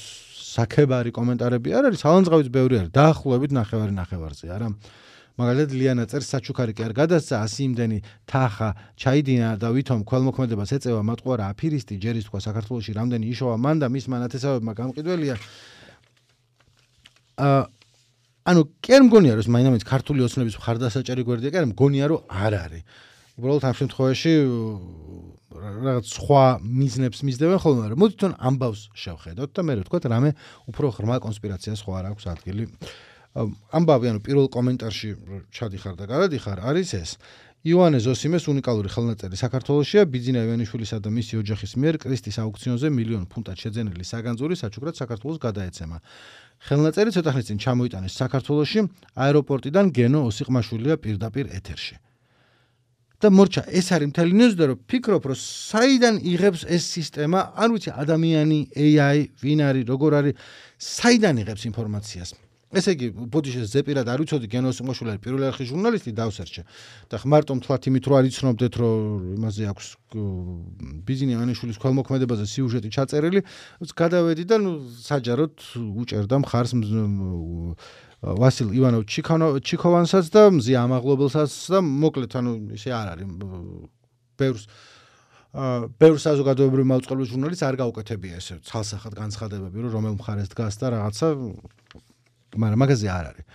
საქებარი კომენტარები არ არის სალანძღავიც ბევრი არის დაახლოებით ნახევარი ნახევარზე არა მაგალითად ლიანა წერს საჩუქარი კი არ გადასცა ასი იმდენი თახა ჩაიდინა და ვითომ ქველმოქმედებას ეწევა მატყუარა აფირისტი ჯერის თქვა საქართველოში რამდენი იშოვა მან და მის მანათესავებმა გამყიდველია აა ანუ კი არ მგონია რომ მაინამაც ქართული ოცნების მხარდასაჭერი გვერდია კი არ მგონია რომ არ არის უბრალოდ ამ შემთხვევაში რაღაც სხვა მიზნებს მისდევენ ხოლმე მაგრამ მოდი თვითონ ამბავს შევხედოთ და მე რა ვთქვა რამე უფრო ღრმა კონსპირაციას ხო არ აქვს ადგილი ამბავი ანუ პირველ კომენტარში ჩადიხარ და გადადიხარ არის ეს ივანე ზოსიმეს უნიკალური ხელნაწერი საქართველოშია ბიძინა ივანიშვილისა და მისი ოჯახის მიერ კრისტის აუქციონზე მილიონ ფუნტად შეძენილი საგანძური საჩუქრად საქართველოს გადაეცემა ხელნაწერი ცოტა ხნის წინ ჩამოიტანეს საქართველოში აეროპორტიდან გენო ოსიყმაშვილია პირდაპირ ეთერში და მორჩა ეს არის მთელი ნიუზი და რომ ფიქრობ რომ საიდან იღებს ეს სისტემა არ ვიცი ადამიანი ეი აი ვინ არის როგორ არის საიდან იღებს ინფორმაციას ესე იგი ბოდიშეს ზეპირად არ ვიცოდი გენო ოსიყმაშვილი არის პირველი არხის ჟურნალისტი დავსერჩე და ხმარტო მთლად იმით რომ არ იცნობდეთ რომ იმაზე აქვს ბიძინა ივანიშვილის ქველმოქმედებაზე სიუჟეტი ჩაწერილი გადავედი და ნუ საჯაროდ უჭერდა მხარს ვასილ ივანოვ ჩიქოვანსაც და მზია ამაღლობელსაც და მოკლედ ანუ ისე არ არის ბევრს ბევრ საზოგადოებრივ მაუწყებლობის ჟურნალისტს არ გაუკეთებია ესე ცალსახად განცხადებები რომ რომელ მხარეს დგას და რაღაცა მაგრამ მაგაზე არ არის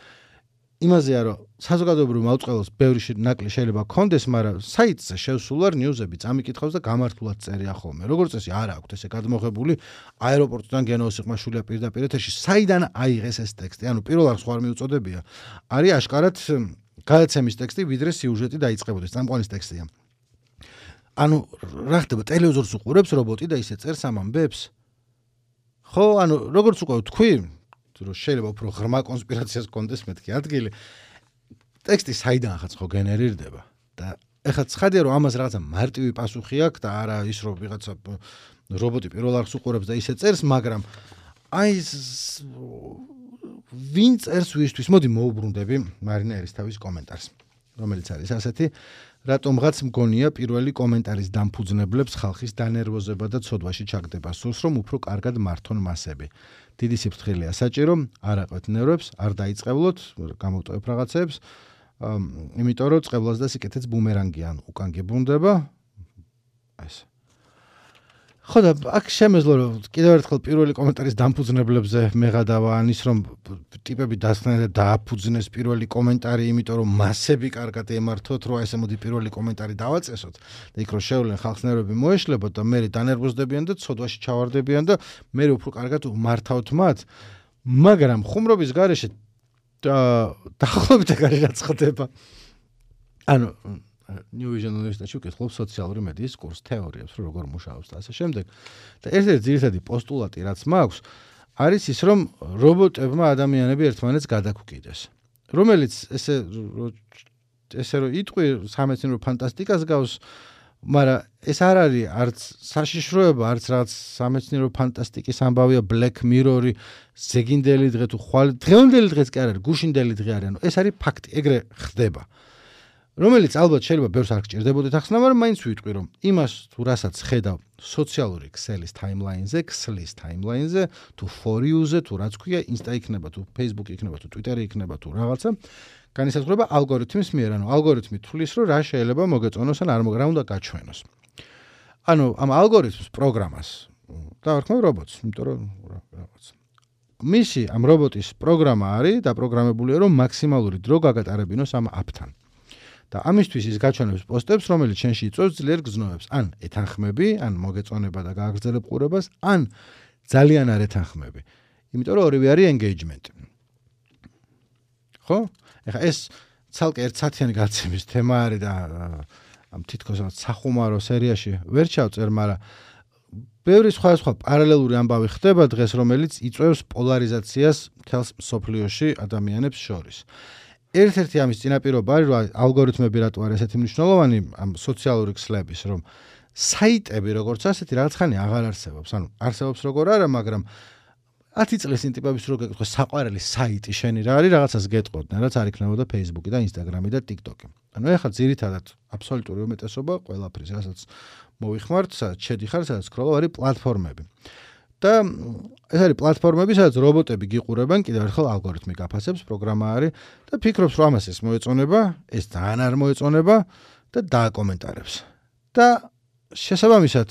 იმაზეა რომ საზოგადოებრივ მაუწყებლობს ბევრი ნაკლი შეიძლება კონდეს მაგრამ საიტზე შევსულ არ ნიუზები წამიკითხავს და გამართულად წერია ხოლმე როგორც წესი არ აქვს ესე გადმოღებული აეროპორტიდან გენო ოსიყმაშვილია პირდაპირ ეთერში საიდან აიღეს ეს ტექსტი ანუ პირველ არხს ხوار მიუწოდებია არის აშკარად გადაცემის ტექსტი ვიდრე სიუჟეტი დაიწყებოდეს წამყვანის ტექსტია ანუ რა ხდება ტელევიზორს უყურებს რობოტი და ისე წერს ამ ამბებს ხო ანუ როგორც უკვე თქვი რომ შეიძლება უფრო ღრმა კონსპირაციას კონდეს მეთქი ადგილი ტექსტი საიდან ხაც ხო გენერირდება და ეხლა ცხადია რომ ამას რაღაცა მარტივი პასუხი აქვს და არა ის რომ ვიღაცა რობოტი პირველ არხს უყურებს და ისე წერს მაგრამ აი ვინ წერს ვისთვის მოდი მოუბრუნდები მარინა ერისთავის კომენტარს რომელიც არის ასეთი რატომღაც მგონია პირველი კომენტარის დამფუძნებლებს ხალხის დანერვოზება და ცოდვაში ჩაგდება სურს რომ უფრო კარგად მართონ მასები დიდი სიფრთხილეა საჭირო არ აყვეთ ნერვებს არ დაიწყებლოთ გამოვტოვებ რაღაცებს იმიტომ რომ წყევლას და სიკეთეც ბუმერანგი ან უკან გებრუნდება ეს ხო და აქ შემეძლო რომ კიდევ ერთხელ პირველი კომენტარის დამფუძნებლებზე მეღადავა ან ის რომ ტიპები დასხდნენ და დააფუძნეს პირველი კომენტარი იმიტომ რომ მასები კარგად ემართოთ რომ ესე მოდი პირველი კომენტარი დავაწესოთ და იქ რომ შევლენ ხალხს ნერვები მოეშლებოდ და მე დანერვოზდებიან და ცოდვაში ჩავარდებიან და მე უფრო კარგად მართავთ მათ მაგრამ ხუმრობის გარეშე დაახლოებით ეგ არის რაც ხდება ანუ New Vision უნივერსიტეტში ვკითხულობ სოციალური მედიის კურსს, თეორიებს, რომ როგორ მუშაობს და ასე შემდეგ. და ერთ-ერთი ძირითადი პოსტულატი, რაც მაქვს, არის ის, რომ რობოტებმა ადამიანები ერთმანეთს გადაგვკიდეს. რომელიც ესე ესე რომ იტყვი სამეცნიერო ფანტასტიკას გავს, მაგრამ ეს არ არის არც საშიშროება, არც რაღაც სამეცნიერო ფანტასტიკის ამბავია Black Mirror-ი, ზეგინდელი დღე თუ ხვალ დღევანდელი დღეც კი არ არის, გუშინდელი დღე არის, ანუ ეს არის ფაქტი, ეგრე ხდება. რომელიც ალბათ შეიძლება ბევრს არ გჭირდებოდეთ ახსნა, მაგრამ მაინც ვიტყვი რომ იმას თუ რასაც ხედავ სოციალური ქსელის ტაიმლაინზე, ქსლის ტაიმლაინზე, თუ for you-ზე, თუ რაც ქვია, Insta იქნება, თუ Facebook იქნება, თუ Twitter იქნება, თუ რაღაცა, განისაზღვრება ალგორითმის მიერ, ანუ ალგორითმი თulis რომ რა შეიძლება მოგეწონოს ან არ მოგრა უნდა გაჩვენოს. ანუ ამ ალგორითმს პროგრამას დავარქმევ რობოტს, იმიტომ რომ რაღაც მისი ამ რობოტის პროგრამა არის დაპროგრამებულია რომ მაქსიმალური დრო გაგატარებინოს ამ აპთან. და ამისთვის ის გაჩვენებს პოსტებს, რომელიც შენში იწვევს ძლიერ გზნობებს, ან ეთანხმები, ან მოგეწონება და გააგრძელებ ყურებას, ან ძალიან არ ეთანხმები. იმიტომ რომ ორივე არის engagement. ხო? ეხლა ეს ცალკე ერთ საათიანი გადაცემის თემა არის და ამ თითქოს სახუმარო სერიაში ვერ ჩავწერ, მაგრამ ბევრი სხვა სხვა პარალელური ამბავი ხდება დღეს, რომელიც იწვევს პოლარიზაციას მთელს მსოფლიოში ადამიანებს შორის. ერთ-ერთი ამის წინაპირობა არის, რომ ალგორითმები რატო არის ესეთი მნიშვნელოვანი ამ სოციალური ქსლების, რომ საიტები როგორც ასეთი რაღაც ხანი აღარ არსებობს. ანუ არსებობს როგორ არა, მაგრამ ათი წლის წინ ტიპების რო გეკითხო საყვარელი საიტი შენი რა არის, რაღაცას გეტყოდნენ, რაც არ იქნებოდა Facebook-ი და Instagram-ი და TikTok-ი. ანუ ეხლა ძირითადად აბსოლუტური უმეტესობა ყველაფრის, რასაც მოვიხმართ, სადაც შედიხარ, სადაც სკროლობ, არის პლატფორმები. და ეს არის პლატფორმები, სადაც რობოტები გიყურებენ, კიდევ ერთხელ ალგორითმი გაფასებს, პროგრამა არის და ფიქრობს, რომ ამას ეს მოეწონება, ეს ძალიან არ მოეწონება და დააკომენტარებს. და შესაბამისად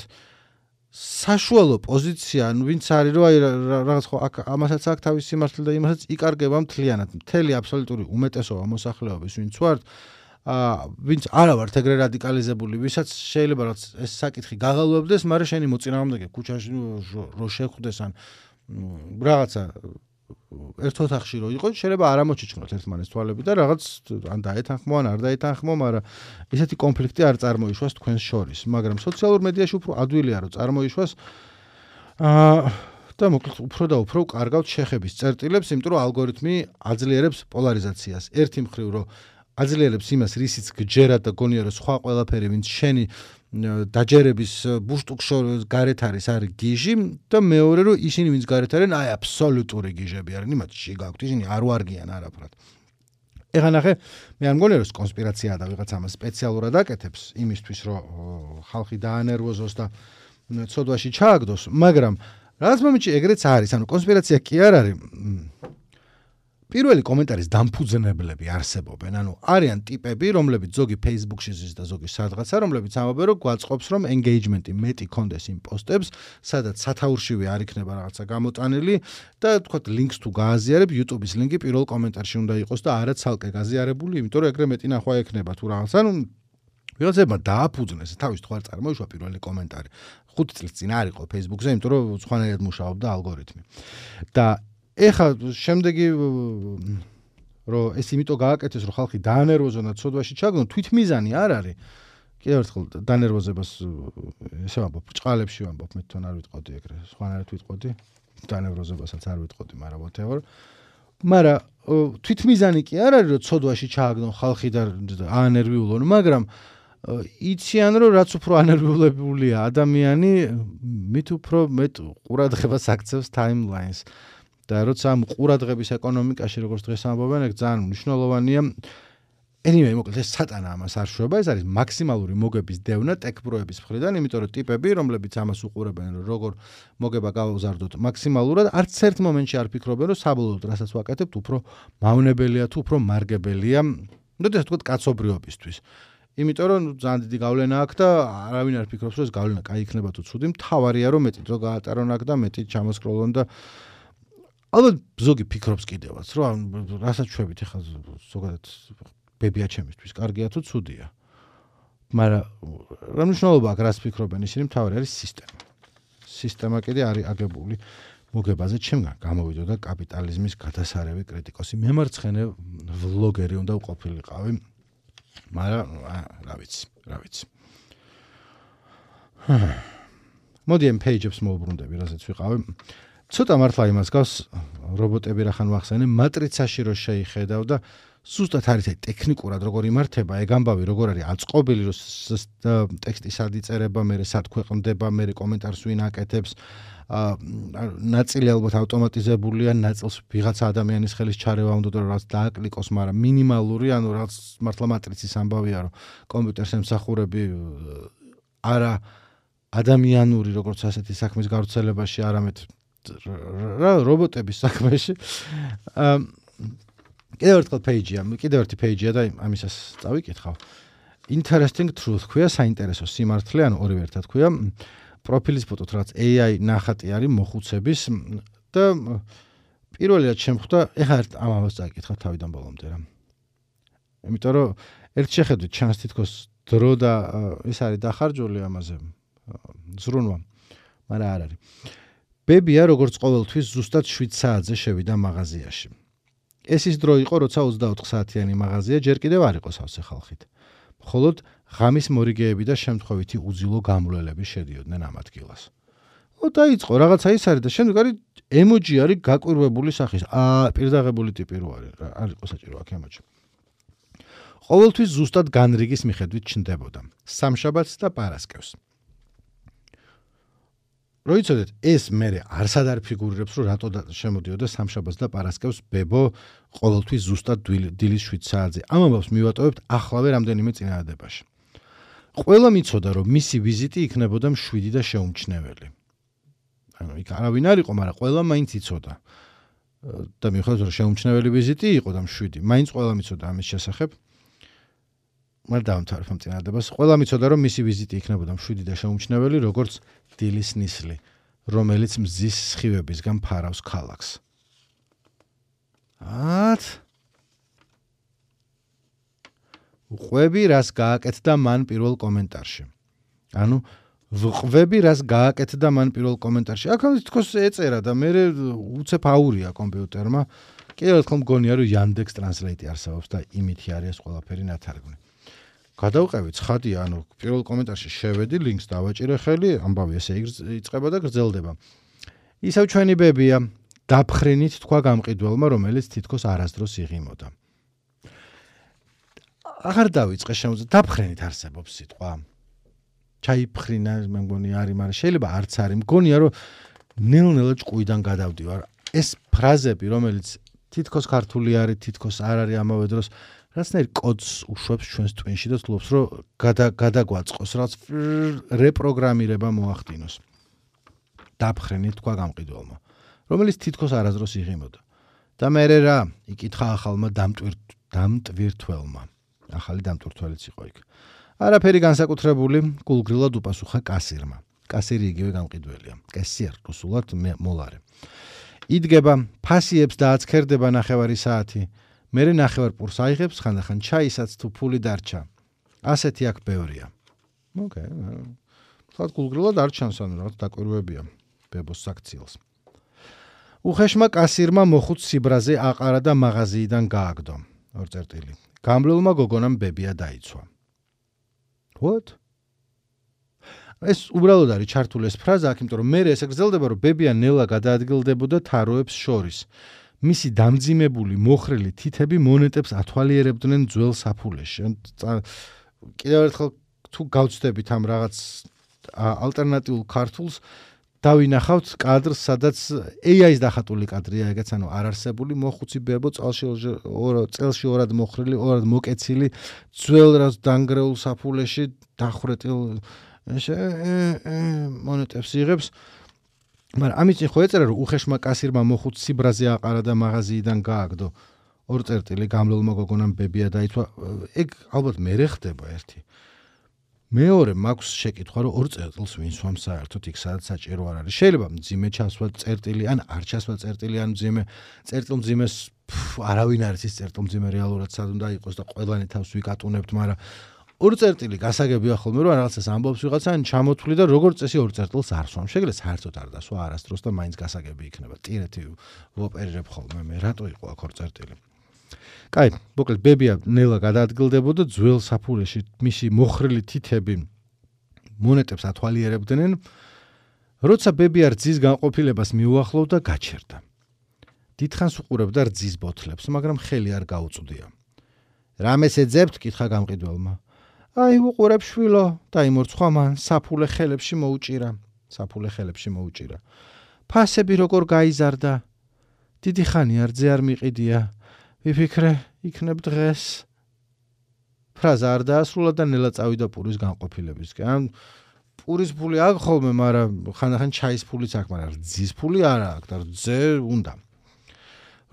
საშუალო პოზიცია, ანუ ვინც არის, რომ აი რაღაც ხო აქ ამასაც აქვს თავის სიმართლე და იმასაც იკარგება მთლიანად. მთელი აბსოლუტური უმეტესობა მოსახლეობის, ვინც ვართ, აა ვინც არა ვართ ეგრე რადიკალიზებული, ვისაც შეიძლება რაღაც ეს საკითხი გაღალვებდეს, მაგრამ შენი მოწინააღმდეგე ქუჩაში რო შეხვდეს ან რაღაცა ერთ ოთახში რო იყო, შეიძლება არ ამოჩიჩქნოთ ერთმანეს თვალები და რაღაც ან დაეთანხმო, ან არ დაეთანხმო, მაგრამ ესეთი კონფლიქტი არ წარმოიშვას თქვენს შორის. მაგრამ სოციალურ მედიაში უფრო ადვილია რომ წარმოიშვას აა და მოკლედ უფრო და უფრო კარგავთ შეხების წერტილებს, იმიტომ რომ ალგორითმი აძლიერებს პოლარიზაციას. ერთი მხრივ რომ აძლიერებს იმას, რისიც გჯერად და გონია რომ სხვა ყველაფერი, ვინც შენი დაჯერების ბუშტუკშორის გარეთ არის, არის გიჟი და მეორე რომ ისინი ვინც გარეთ არიან, აი აბსოლუტური გიჟები არიან, იმათში გაქვთ, ისინი არ ვარგიან არაფრად. ეხლა ნახე, მე არ მგონია რომ კონსპირაციაა და ვიღაც ამას სპეციალურად აკეთებს იმისთვის, რომ ხალხი დაანერვოზოს და ცოდვაში ჩააგდოს, მაგრამ რაღაც მომენტში ეგრეც არის, ანუ კონსპირაცია კი არ არის. პირველი კომენტარის დამფუძნებლები არსებობენ, ანუ არიან ტიპები, რომლებიც ზოგი Facebook-ში ზის და ზოგი სადღაცა, რომლებიც ამბობენ, რომ გვაწყობს, რომ engagement-ი მეტი კონდეს იმ პოსტებს, სადაც სათაურშივე არ იქნება რაღაცა გამოტანილი და თქვათ links თუ გააზიარებ, YouTube-ის ლინკი პირველ კომენტარში უნდა იყოს და არა ცალკე გაზიარებული, იმიტომ რომ ეგრე მეტი ნახვა ექნება თუ რაღაც. ანუ ვიღაცებმა დააფუძნეს, თავის თუ არ წარმოიშვა პირველი კომენტარი. ხუთი წლის წინ არ იყო Facebook-ზე, იმიტომ რომ სხვანაირად მუშაობდა ალგორითმი. და ეხა შემდეგი რომ ეს იმიტომ გააკეთეს, რომ ხალხი დაანერვოზონ და ცოდვაში ჩაგდონ, თვითმიზანი არ არის. კიდევ ერთხელ დანერვოზებას ესე ვამბობ, ბრჭყალებში ვამბობ, მე თან არ ვიტყოდი ეგრე, სხვანაირად ვიტყოდი, დანერვოზებასაც არ ვიტყოდი, მაგრამ whatever. მაგრამ თვითმიზანი კი არ არის, რომ ცოდვაში ჩააგდონ ხალხი და აანერვიულონ, მაგრამ იციან, რომ რაც უფრო ანერვიულებულია ადამიანი, მით უფრო მეტ ყურადღებას აქცევს timelines. და როცა ამ ყურადღების ეკონომიკაში როგორც დღეს ამბობენ, ეგ ძალიან მნიშვნელოვანია. anyway, მოკლედ ეს სატანა ამას არ შვება, ეს არის მაქსიმალური მოგების დევნა ტექ-პროების მხრიდან, იმიტომ რომ ტიპები, რომლებიც ამას უყურებენ, რომ როგორ მოგება გავზარდოთ მაქსიმალურად, არც ერთ მომენტში არ ფიქრობენ, რომ საბოლოოდ რასაც ვაკეთებთ, უფრო მავნებელია თუ უფრო მარგებელია, მოდით თქვათ კაცობრიობისთვის. იმიტომ რომ ძალიან დიდი გავლენა აქვს და არავინ არ ფიქრობს, რომ ეს გავლენა კაი იქნება თუ ცუდი, მთავარია რომ მეტი დრო გაატარონ აქ და მეტი ჩამოსკროლონ და ალბათ ზოგი ფიქრობს კიდევაც, რომ რასაც შვებით ახლა ზოგადად ბებია ჩემისთვის, კარგია თუ ცუდია. მაგრამ რა მნიშვნელობა აქვს რას ფიქრობენ ისინი, მთავარი არის სისტემა. სისტემა კიდე არის აგებული მოგებაზე, ჩემგან გამოვიდო და კაპიტალიზმის გადასარევი კრიტიკოსი, მემარცხენე ვლოგერი უნდა ვყოფილიყავი. მაგრამ რა ვიცი, რა ვიცი. მოდი ამ page-ებს მოვუბრუნდები, რასაც ვიყავი. ცოტა მართლა იმას გავს რობოტები რახან ვახსენე, მატრიცაში რო შეიხედავ და სუსტად არის ეს ტექნიკურად როგორ იმართება, ეგ ამბავი როგორ არის აწყობილი, რომ ტექსტი სად იწერება, მე სად ქვეყნდება, მე კომენტარს ვინ აკეთებს, ნაწილი ალბათ ავტომატიზებულია, ნაწილს ვიღაცა ადამიანის ხელის ჩარევა უნდა რომ რაც დააკლიკოს, მაგრამ მინიმალური, ანუ რაც მართლა მატრიცის ამბავია, რომ კომპიუტერს ემსახურები არა ადამიანური როგორც ასეთი საქმის გავრცელებაში, არამედ რა რობოტების საქმეში. კიდევ ერთხელ page-ია, კიდევ ერთი page-ია და ამისას წავიკითხავ. Interesting truth ქვია, საინტერესო სიმართლე, ანუ ორივე ერთად ქვია. პროფილის ფოტოთ რაც A I ნახატი არის მოხუცების და პირველი რაც შემხვდა, ეხლა ერთ ამას წავიკითხავ თავიდან ბოლომდე რა. იმიტომ რომ ერთ შეხედვით ჩანს თითქოს დრო და ეს არის დახარჯული ამაზე ზრუნვა, მაგრამ არ არის. ბებია როგორც ყოველთვის ზუსტად შვიდ საათზე შევიდა მაღაზიაში. ეს ის დრო იყო, როცა ოცდაოთხ საათიანი მაღაზია ჯერ კიდევ არ იყო სავსე ხალხით. მხოლოდ ღამის მორიგეები და შემთხვევითი უძილო გამრავლები შედიოდნენ ამ ადგილას. ო დაიწყო რაღაცა ის არის და შემდეგ არის ემოჯი არის გაკვირვებული სახის. აა პირდაღებული ტიპი რო არის, არ იყო საჭირო აქ ემოჯი. ყოველთვის ზუსტად განრიგის მიხედვით ჩნდებოდა. სამშაბათს და პარასკევს. როიცოდეთ ეს მე არსად არ ფიგურირებს რომ რატო შემოდიოდა სამშაბათს და პარასკევს ბებო ყოველთვის ზუსტად დილის შვიდ საათზე. ამ ამბავს მივატოვებთ ახლავე რამდენიმე წინადადებაში. ყველა მიცოდა რომ მისი ვიზიტი იქნებოდა მშვიდი და შეუმჩნეველი. ანუ იქ არავინ არ იყო, მაგრამ ყველა მაინც იცოდა. და მიუხედავად რომ შეუმჩნეველი ვიზიტი იყო და მშვიდი, მაინც ყველა მიცოდა ამის შესახებ. მაგრამ დავამთავრებ ამ წინადადებას. ყველა მიცოდა რომ მისი ვიზიტი იქნებოდა მშვიდი და შეუმჩნეველი, როგორც დილის ნისლი, რომელიც მზის სხივებისგან ფარავს ქალაქს. ათ ვყვები რას გააკეთდა მან პირველ კომენტარში. ანუ ვყვები რას გააკეთდა მან პირველ კომენტარში. აქ თქოს ეწერა და მე უცებ აურია კომპიუტერმა. კიდევ ერთხელ მგონია რომ Yandex Translate არსებობს და იმითი არის ყველაფერი ნათარგმნი. გადავყევი ცხადია, ანუ პირველ კომენტარში შევედი, ლინკს დავაჭირე ხელი, ამბავი ესე იწყება და გრძელდება. ისევ ჩვენი ბებია, დაფხრინით თქვა გამყიდველმა, რომელიც თითქოს არასდროს იღიმოდა. აღარ დავიწყე შემოძ დაფხრინით არსებობს სიტყვა. ჩაიფხრინა, მე მგონი არის, მაგრამ შეიძლება არც არის. მგონია რომ ნელ-ნელა ჭკუიდან გადავდივარ. ეს ფრაზები, რომელიც თითქოს ქართული არის, თითქოს არ არის ამავე დროს, რაცნაირ კოდს უშვებს ჩვენს ტვინში და ცდილობს რომ გადაგვაწყოს, რაც რეპროგრამირება მოახდინოს. დაფხრინით თქვა გამყიდველმა, რომელიც თითქოს არასდროს იღიმოდა. და მერე რა, იკითხა ახალმა დამტვირთველმა. ახალი დამტვირთველიც იყო იქ. არაფერი განსაკუთრებული, გულგრილად უპასუხა კასირმა. კასირი იგივე გამყიდველია. კესიერ რუსულად მოლარე. იდგება, ფასიებს და აცქერდება ნახევარი საათი. მერე ნახევარ პურს აიღებს, ხანდახან ჩაისაც თუ ფული დარჩა. ასეთი აქ ბევრია. ოკეი. თქო გულგრილად არ ჩანს, ანუ რაღაც დაკვირვებია ბებოს საქციელს. უხეშმა კასირმა მოხუც სიბრაზე აყარა და მაღაზიიდან გააგდო. ორ წერტილი. გამლულმა გოგონამ ბებია დაიცვა. What? ეს უბრალოდ არის ჩართული ეს ფრაზა, აქ იმიტომ რომ მე ესე გრძელდება, რომ ბებია ნელა გადაადგილდებოდა თაროებს შორის. მისი დამძიმებული მოხრილი თითები მონეტებს ათვალიერებდნენ ძველ საფულეში. კიდევ ერთხელ თუ გავცდებით ამ რაღაც ალტერნატიულ ქართულს, დავინახავთ კადრს, სადაც ეი აის დახატული კადრია, ეგეც ანუ არარსებული მოხუცი ბებო წელში წელში ორად მოხრილი, ორად მოკეცილი, ძველ რაც დანგრეულ საფულეში დახვრეტილ მონეტებს იღებს. მაგრამ ამით ხო ეწერა რომ უხეშმა კასირმა მოხუც სიბრაზე აყარა და მაღაზიიდან გააგდო. ორ წერტილი გამლულმა გოგონამ ბებია დაიცვა. ეგ ალბათ მერე ხდება ერთი. მეორე მაქვს შეკითხვა რომ ორ წერტილს ვინ სვამ საერთოდ იქ სადაც საჭირო არ არის. შეიძლება მძიმე ჩასვა წერტილი, ან არ ჩასვა წერტილი, ან მძიმე წერტილმძიმეს არავინ არის ის წერტილმძიმე რეალურად სად უნდა იყოს და ყველანი თავს ვიკატუნებთ, მაგრამ ორ წერტილი გასაგებია ხოლმე რომ რაღაცას ამბობს ვიღაცა ან ჩამოთვლი და როგორც წესი ორ წერტილს არ სვამ. შეგიძლია საერთოდ არ დასვა არასდროს და მაინც გასაგები იქნება. ტირეთი ვოპერირებ ხოლმე მე, რატო იყო აქ ორ წერტილი. კაი, მოკლედ ბებია ნელა გადაადგილდებოდა ძველ საფულეში, მისი მოხრილი თითები მონეტებს ათვალიერებდნენ, როცა ბებია რძის განყოფილებას მიუახლოვდა, გაჩერდა. დიდხანს უყურებდა რძის ბოთლებს, მაგრამ ხელი არ გაუწვდია. რამეს ეძებთ? კითხა გამყიდველმა. აი, უყურებ შვილო, დაიმორცხვა მან, საფულე ხელებში მოუჭირა. საფულე ხელებში მოუჭირა. ფასები როგორ გაიზარდა? დიდი ხანია რძე არ მიყიდია. ვიფიქრე, იქნებ დღეს. ფრაზა არ დაასრულა და ნელა წავიდა პურის განყოფილებისკენ. პურის ფული აქვს ხოლმე, მაგრამ ხანდახან ჩაის ფულიც აქვს, მაგრამ რძის ფული არ აქვს და რძე უნდა.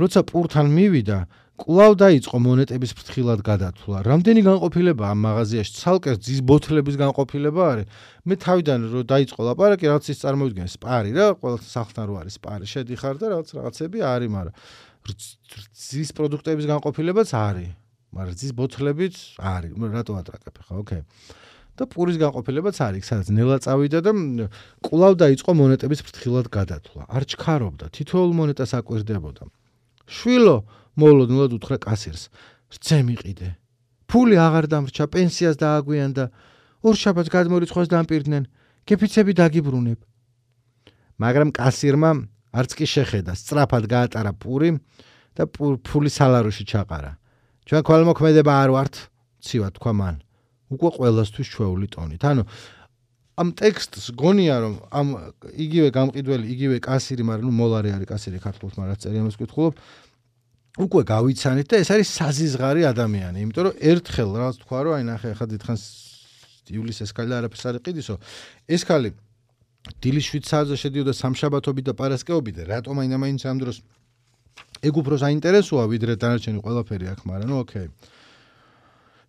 როცა პურთან მივიდა, კვლავ დაიწყო მონეტების ფრთხილად გადათვლა. რამდენი განყოფილება ამ მაღაზიაში? ცალკე რძის ბოთლების განყოფილება არის. მე თავიდან რომ დაიწყო ლაპარაკი, რაღაც ის წარმოვიდგინე სპარი რა, ყველა სახლთან რო არის სპარი, შედიხარ და რაღაც რაღაცები არის, მაგრამ რძის პროდუქტების განყოფილებაც არის, მაგრამ რძის ბოთლებიც არის. რატო ატრაკებ ხა? ოკეი. და პურის განყოფილებაც არის, სადაც ნელა წავიდა და კვლავ დაიწყო მონეტების ფრთხილად გადათვლა. არ ჩქარობდა, თითოეულ მონეტას აკვირდებოდა. შვილო, მოულოდნელად უთხრა კასირს. რძე მიყიდე. ფული აღარ დამრჩა, პენსიას დააგვიანდა. ორ შაბათს გადმორიცხვას დამპირდნენ. გეფიცები დაგიბრუნებ. მაგრამ კასირმა არც კი შეხედა, სწრაფად გაატარა პური და ფული სალაროში ჩაყარა. ჩვენ ქველმოქმედება არ ვართ, ცივა თქვა მან. უკვე ყველასთვის ჩვეული ტონით. ანუ ამ ტექსტს გონია რომ ამ იგივე გამყიდველი, იგივე კასირი, მაგრამ ნუ მოლარი არის კასირი ქართულად, მაგრამ რაც წერია მას ვკითხულობ, უკვე გავიცანით და ეს არის საზიზღარი ადამიანი, იმიტომ რომ ერთხელ რაღაც თქვა რომ აი ნახე ახლა დიდხანს იulis ეს ქალი არაფერს არ იყიდისო, ეს ქალი დილის შვიდ საათზე შედიოდა სამშაბათობით და პარასკევობით და რატომ აინამაინც ამ დროს ეგ უფრო საინტერესოა ვიდრე დანარჩენი ყველაფერი აქ, მაგრამ ნუ ოკეი.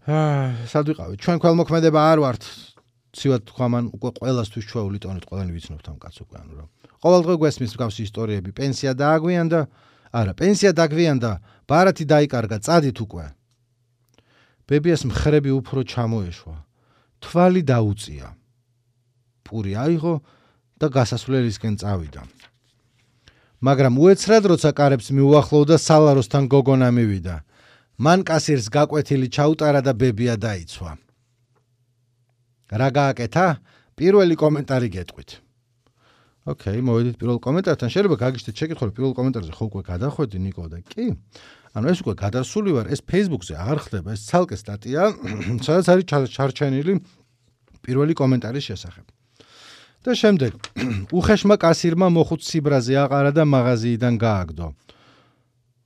აა, სად ვიყავით? ჩვენ ქველმოქმედება არ ვართ. ცივად თქვა მან უკვე ყველასთვის ჩვეული ტონით ყველანი ვიცნობთ ამ კაცს უკვე ანუ რა. ყოველდღე გვესმის მსგავსი ისტორიები, პენსია დააგვიანდა, არა, პენსია დაგვიანდა, ბარათი დაიკარგა, წადით უკვე. ბებიას მხრები უფრო ჩამოეშვა. თვალი დაუწია. პური აიღო და გასასვლელისკენ წავიდა. მაგრამ უეცრად როცა კარებს მიუახლოვდა, სალაროსთან გოგონა მივიდა. მან კასირს გაკვეთილი ჩაუტარა და ბებია დაიცვა. რა გააკეთა? პირველი კომენტარი გეტყვით. ოკეი, მოვედით პირველ კომენტართან. შეიძლება გაგიჩნდეთ შეკითხვა, პირველ კომენტარზე ხო უკვე გადახვედი ნიკო და კი. ანუ ეს უკვე გადასული ვარ, ეს Facebook-ზე აღარ ხდება, ეს ცალკე სტატია, სადაც არის ჩარჩენილი პირველი კომენტარის შესახებ. და შემდეგ უხეშმა კასირმა მოხუც სიბრაზე აყარა და მაღაზიიდან გააგდო.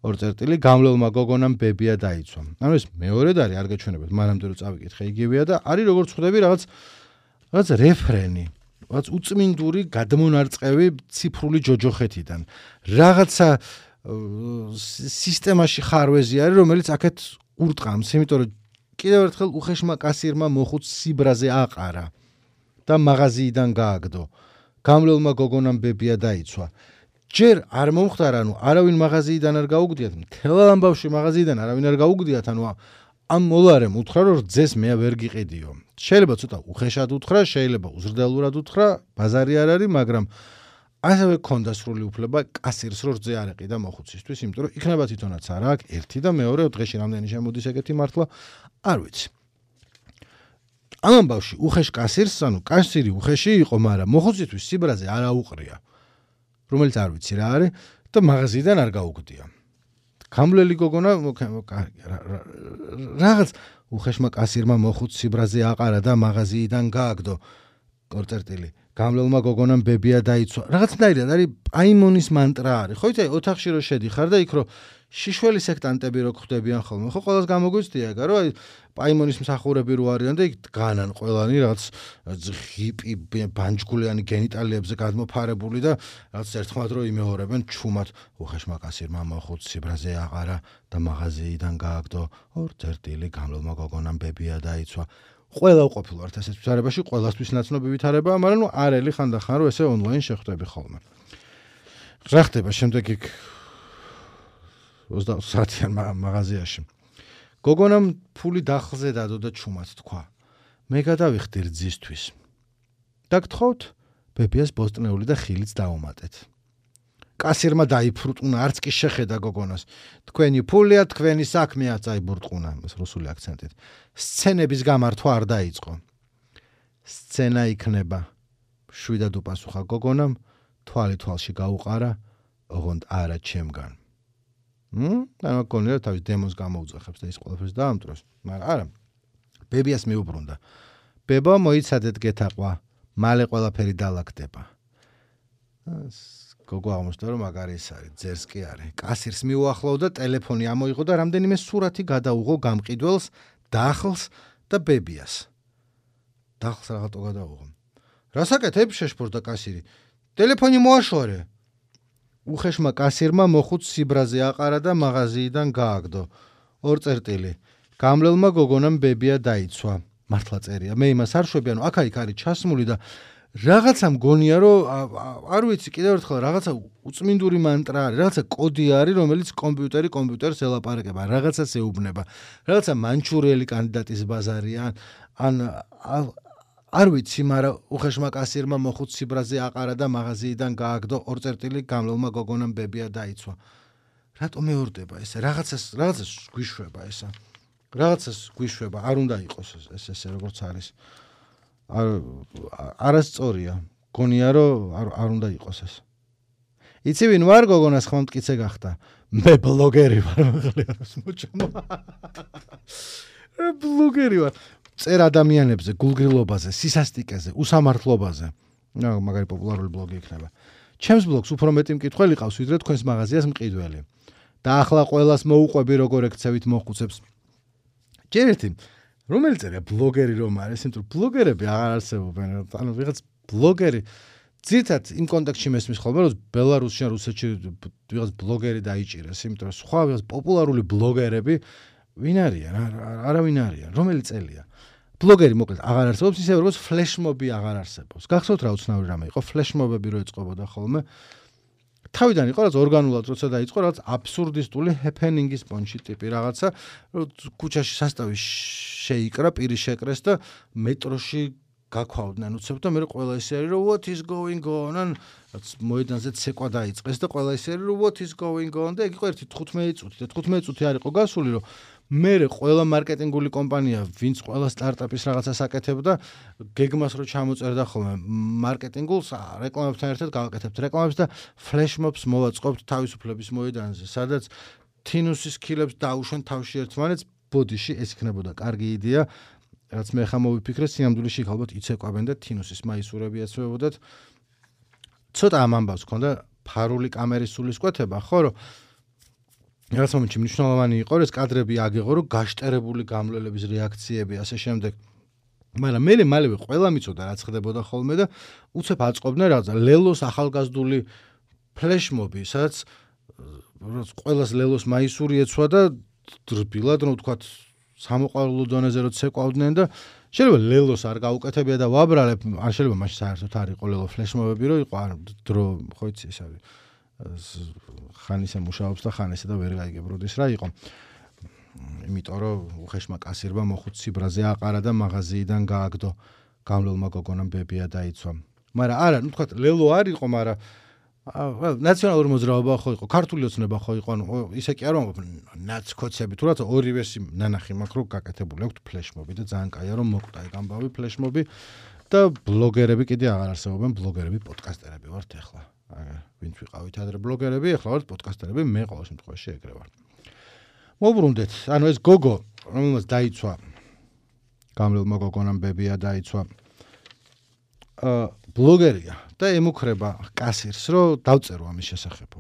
ორ წერტილი გამლელმა გოგონამ ბებია დაიცვა. ანუ ეს მეორედ არის, არ გეჩვენებთ, მანამდე რომ წავიკითხე იგივეა და არის როგორც ხვდები რაღაც რაღაც რეფრენი, რაღაც უწმინდური გადმონარწყევი ციფრული ჯოჯოხეთიდან. რაღაცა სისტემაში ხარვეზი არის, რომელიც აქეთ ურტყამს, იმიტომ რომ კიდევ ერთხელ უხეშმა კასირმა მოხუც სიბრაზე აყარა და მაღაზიიდან გააგდო. გამლელმა გოგონამ ბებია დაიცვა. ჯერ არ მომხდარა, ანუ არავინ მაღაზიიდან არ გაუგდიათ, მთელ ამბავში მაღაზიიდან არავინ არ გაუგდიათ, ანუ ამ მოლარემ უთხრა, რომ რძეს მე ვერ გიყიდიო. შეიძლება ცოტა უხეშად უთხრა, შეიძლება უზრდელურად უთხრა, ბაზარი არ არის, მაგრამ ასევე ქონდა სრული უფლება კასირს რო რძე არ ეყიდა მოხუცისთვის, იმიტომ რომ იქნება თვითონაც არა აქ ერთი და მეორე დღეში რამდენი შემოდის ეგეთი მართლა, არ ვიცი. ამ ამბავში უხეშ კასირს, ანუ კასირი უხეში იყო, მაგრამ მოხუცისთვის სიბრაზე არ აუყრია. რომელიც არ ვიცი რა არის და მაღაზიიდან არ გაუგდია. გამლელი გოგონა რაღაც უხეშმა კასირმა მოხუც სიბრაზე აყარა და მაღაზიიდან გააგდო. ორ წერტილი გამლელმა გოგონამ ბებია დაიცვა. რაღაცნაირად არის პაიმონის მანტრა არის. ხო იცი ოთახში რო შედიხარ და იქ რო შიშველი სექტანტები რო ხვდებიან ხოლმე. ხო ყველას გამოგვიცდია ეგა რომ პაიმონის მსახურები რო არიან და იქ დგანან ყველანი რაღაც ღიპი ბანჯგულიანი გენიტალიებზე გადმოფარებული და რაღაც ერთხმად რო იმეორებენ ჩუმად უხეშმა კასირმა მოხუც სიბრაზე აყარა და მაღაზიიდან გააგდო. ორ წერტილი გამლელმა გოგონამ ბებია დაიცვა. ყველა უყოფილ ვართ ესეთ ვითარებაში, ყველასთვის ნაცნობი ვითარებაა, მაგრამ ნუ არელი ხანდახან რომ ესე ონლაინ შეხვდები ხოლმე. რა ხდება შემდეგ იქ ოცდაოთხ საათიან მაღაზიაში. გოგონამ ფული დახლზე დადო და ჩუმად თქვა. მე გადავიხდი რძისთვის. დაგთხოვთ, ბებიას ბოსტნეული და ხილიც დაუმატეთ. კასირმა დაიფრუტუნა, არც კი შეხედა გოგონას. თქვენი ფულია, თქვენი საქმეა, წაიბურტყუნა, ეს რუსული აქცენტით. სცენების გამართვა არ დაიწყო. სცენა იქნება. შვიდად უპასუხა გოგონამ, თვალი თვალში გაუყარა, ოღონდ არა ჩემგან. მ? ანუ გონია თავის დემონს გამოუძახებს და ის ყველაფერს დაამტვროს, მაგრამ არა. ბებიას მიუბრუნდა. ბებო, მოიცადეთ გეთაყვა, მალე ყველაფერი დალაგდება. გოგო აღმოჩნდა რომ მაგარი ის არის, ძერს კი არის. კასირს მიუახლოვდა, ტელეფონი ამოიღო და რამდენიმე სურათი გადაუღო გამყიდველს, დახლს და ბებიას. დახლს რაღაცო გადაუღო. რასაკეთებ? შეშფორდა კასირი. ტელეფონი მოაშორე. უხეშმა კასირმა მოხუც სიბრაზე აყარა და მაღაზიიდან გააგდო. ორ წერტილი. გამლელმა გოგონამ ბებია დაიცვა. მართლა წერია. მე იმას არ შვები, ანუ აქა-იქ არის ჩასმული და რაღაცა მგონია რომ არ ვიცი კიდევ ერთხელ რაღაცა უწმინდური მანტრა არის, რაღაცა კოდი არის, რომელიც კომპიუტერი კომპიუტერს ელაპარაკება, რაღაცას ეუბნება. რაღაცა მანჩურიელი კანდიდატის ბაზარია, ან არ ვიცი, მაგრამ უხეშმა კასირმა მოხუც სიბრაზე აყარა და მაღაზიიდან გააგდო. ორ წერტილი გამლელმა გოგონამ ბებია დაიცვა. რატომ მეორდება ესე? რაღაცას რაღაცას გვიშვება ესა. რაღაცას გვიშვება, არ უნდა იყოს ეს ესე როგორც არის. არასწორია. გონია რომ არ უნდა იყოს ეს. იცი ვინ ვარ გოგონას ხომ მტკიცე გახდა? მე ბლოგერი ვარ, მაღალი არის მოჩამო. ბლოგერი ვარ. წერ ადამიანებზე, გულგრილობაზე, სისასტიკეზე, უსამართლობაზე. რა მაგარი პოპულარული ბლოგი იქნება. ჩემს ბლოგს უფრო მეტი მკითხველი ყავს, ვიდრე თქვენს მაღაზიას მყიდველი. და ახლა ყველას მოუყვები როგორ ექცევით მოხუცებს. ჯერ ერთი რომელი წერია ბლოგერი რომ არის, იმიტომ რომ ბლოგერები აღარ არსებობენ. ანუ ვიღაც ბლოგერი ძირთად იმ კონტექსტში მესმის ხოლმე, რომ ბელარუსში ან რუსეთში ვიღაც ბლოგერი დაიჭირეს, იმიტომ რომ სხვა ვიღაც პოპულარული ბლოგერები ვინ არიან? არავინ არიან. რომელი წელია? ბლოგერი მოკლედ აღარ არსებობს, ისე როგორც ფლეშმობი აღარ არსებობს. გახსოვთ რა უცნაური რამე იყო? ფლეშმობები რო ეწყობოდა ხოლმე. თავიდან იყო რაც ორგანულად როცა დაიწყო, რაც აბსურდისტული ჰეპენინგის პონჩი ტიპი რაღაცა, რომ ქუჩაში სასტავი შეიკრა, პირი შეკრეს და მეტროში გაქვავდნენ უცებ და მე ყველა ისე არის, რომ what is going on? ან რაც მოედანზე ცეკვა დაიწყეს და ყველა ისე არის, რომ what is going on? და ეგ იყო ერთი თხუთმეტი წუთი და თხუთმეტი წუთი არ იყო გასული, რომ მე ყველა მარკეტინგული კომპანია, ვინც ყველა სტარტაპის რაღაცას აკეთებდა, გეგმას რო ჩამოწერდა ხოლმე მარკეტინგულს, რეკლამებთან ერთად გავაკეთებთ რეკლამებს და ფლეშმობს მოვაწყობთ თავისუფლების მოედანზე, სადაც თინუსის ქილებს დაუშვენ თავში ერთმანეთს, ბოდიში ეს იქნებოდა კარგი იდეა, რაც მე ხა მოვიფიქრე, სინამდვილეში ალბათ იცეკვავენ და თინუსის მაისურები ეცვებოდათ. ცოტა ამ ამბავს ქონდა ფარული კამერის სულისკვეთება, ხო რომ რაღაც მომენტში მნიშვნელოვანი იყო, ეს კადრები აგეღო, რომ გაშტერებული გამლელების რეაქციები ასე შემდეგ. მაგრამ მე მალევე ყველა მიცოდა რაც ხდებოდა ხოლმე და უცებ აწყობდნენ რაღაცა ლელოს ახალგაზრდული ფლეშმობი, სადაც ყველას ლელოს მაისური ეცვა და დრბილად რომ ვთქვათ სამოყვარულო დონეზე რო ცეკვავდნენ და შეიძლება ლელოს არ გაუკეთებია და ვაბრალებ, არ შეიძლება მაშინ საერთოდ არ იყო ლელო ფლეშმობები, რომ იყო არ დრო ხო იცი ეს არის ხან ისე მუშაობს და ხან ესე და ვერ გაიგებროდეს რა იყო. იმიტომ რომ უხეშმა კასირმა მოხუცი ბრაზე აყარა და მაღაზიიდან გააგდო. გამლელმა გოგონამ ბებია დაიცვა. მაგრამ არა, ну თქვა ლელო არ იყო, მაგრამ ნაციონალური მოძრაობა ხო იყო, ქართული ოცნება ხო იყო, ანუ ისე კი არ ვამბობ ნაცკოცები, თუ რაცა ორი ვერსი ნანახი მაქვს, რომ გაკეთებული აქვს ფლეშმობი და ძალიან კაია რომ მოკვდა ეგ ამბავი ფლეშმობი და ბლოგერები კიდე აღარ არსებობენ, ბლოგერები პოდკასტერები ვართ ახლა. ვინც ვიყავით ადრე ბლოგერები, ახლა ვართ პოდკასტერები, მე ყოველ შემთხვევაში ეგრე ვარ. მოbrunდეთ, ანუ ეს გოგო, რომელმაც დაიცვა გამლელმა გოგონამ ბებია დაიცვა. აა ბლოგერია და ემუქრება კასირს, რომ დავწერო ამის შესახებო.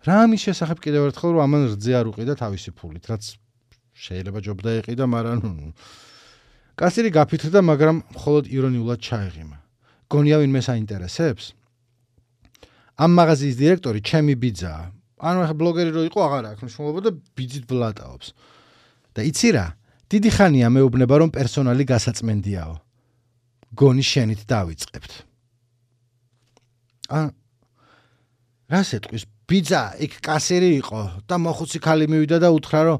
რა ამის შესახებ კიდევ ერთხელ რომ ამან რძე არ უყიდა თავისი ფულით, რაც შეიძლება ჯობდა ეყიდა, მაგრამ კასირი გაფიქრდა, მაგრამ მხოლოდ ირონიულად ჩაეღიმა. გონია ვინმე საინტერესებს? ამ მაღაზიის დირექტორი ჩემი ბიძაა. ანუ ახლა ბლოგერი რო იყო აღარ აქვს მნიშვნელობა და ბიძით ბლატაობს. და იცი რა? დიდი ხანია მეუბნება რომ პერსონალი გასაწმენდიაო. გონი შენით დავიწყებთ. ა რა სეტყვის ბიძა იქ კასირი იყო და მოხუცი ქალი მივიდა და უთხრა რომ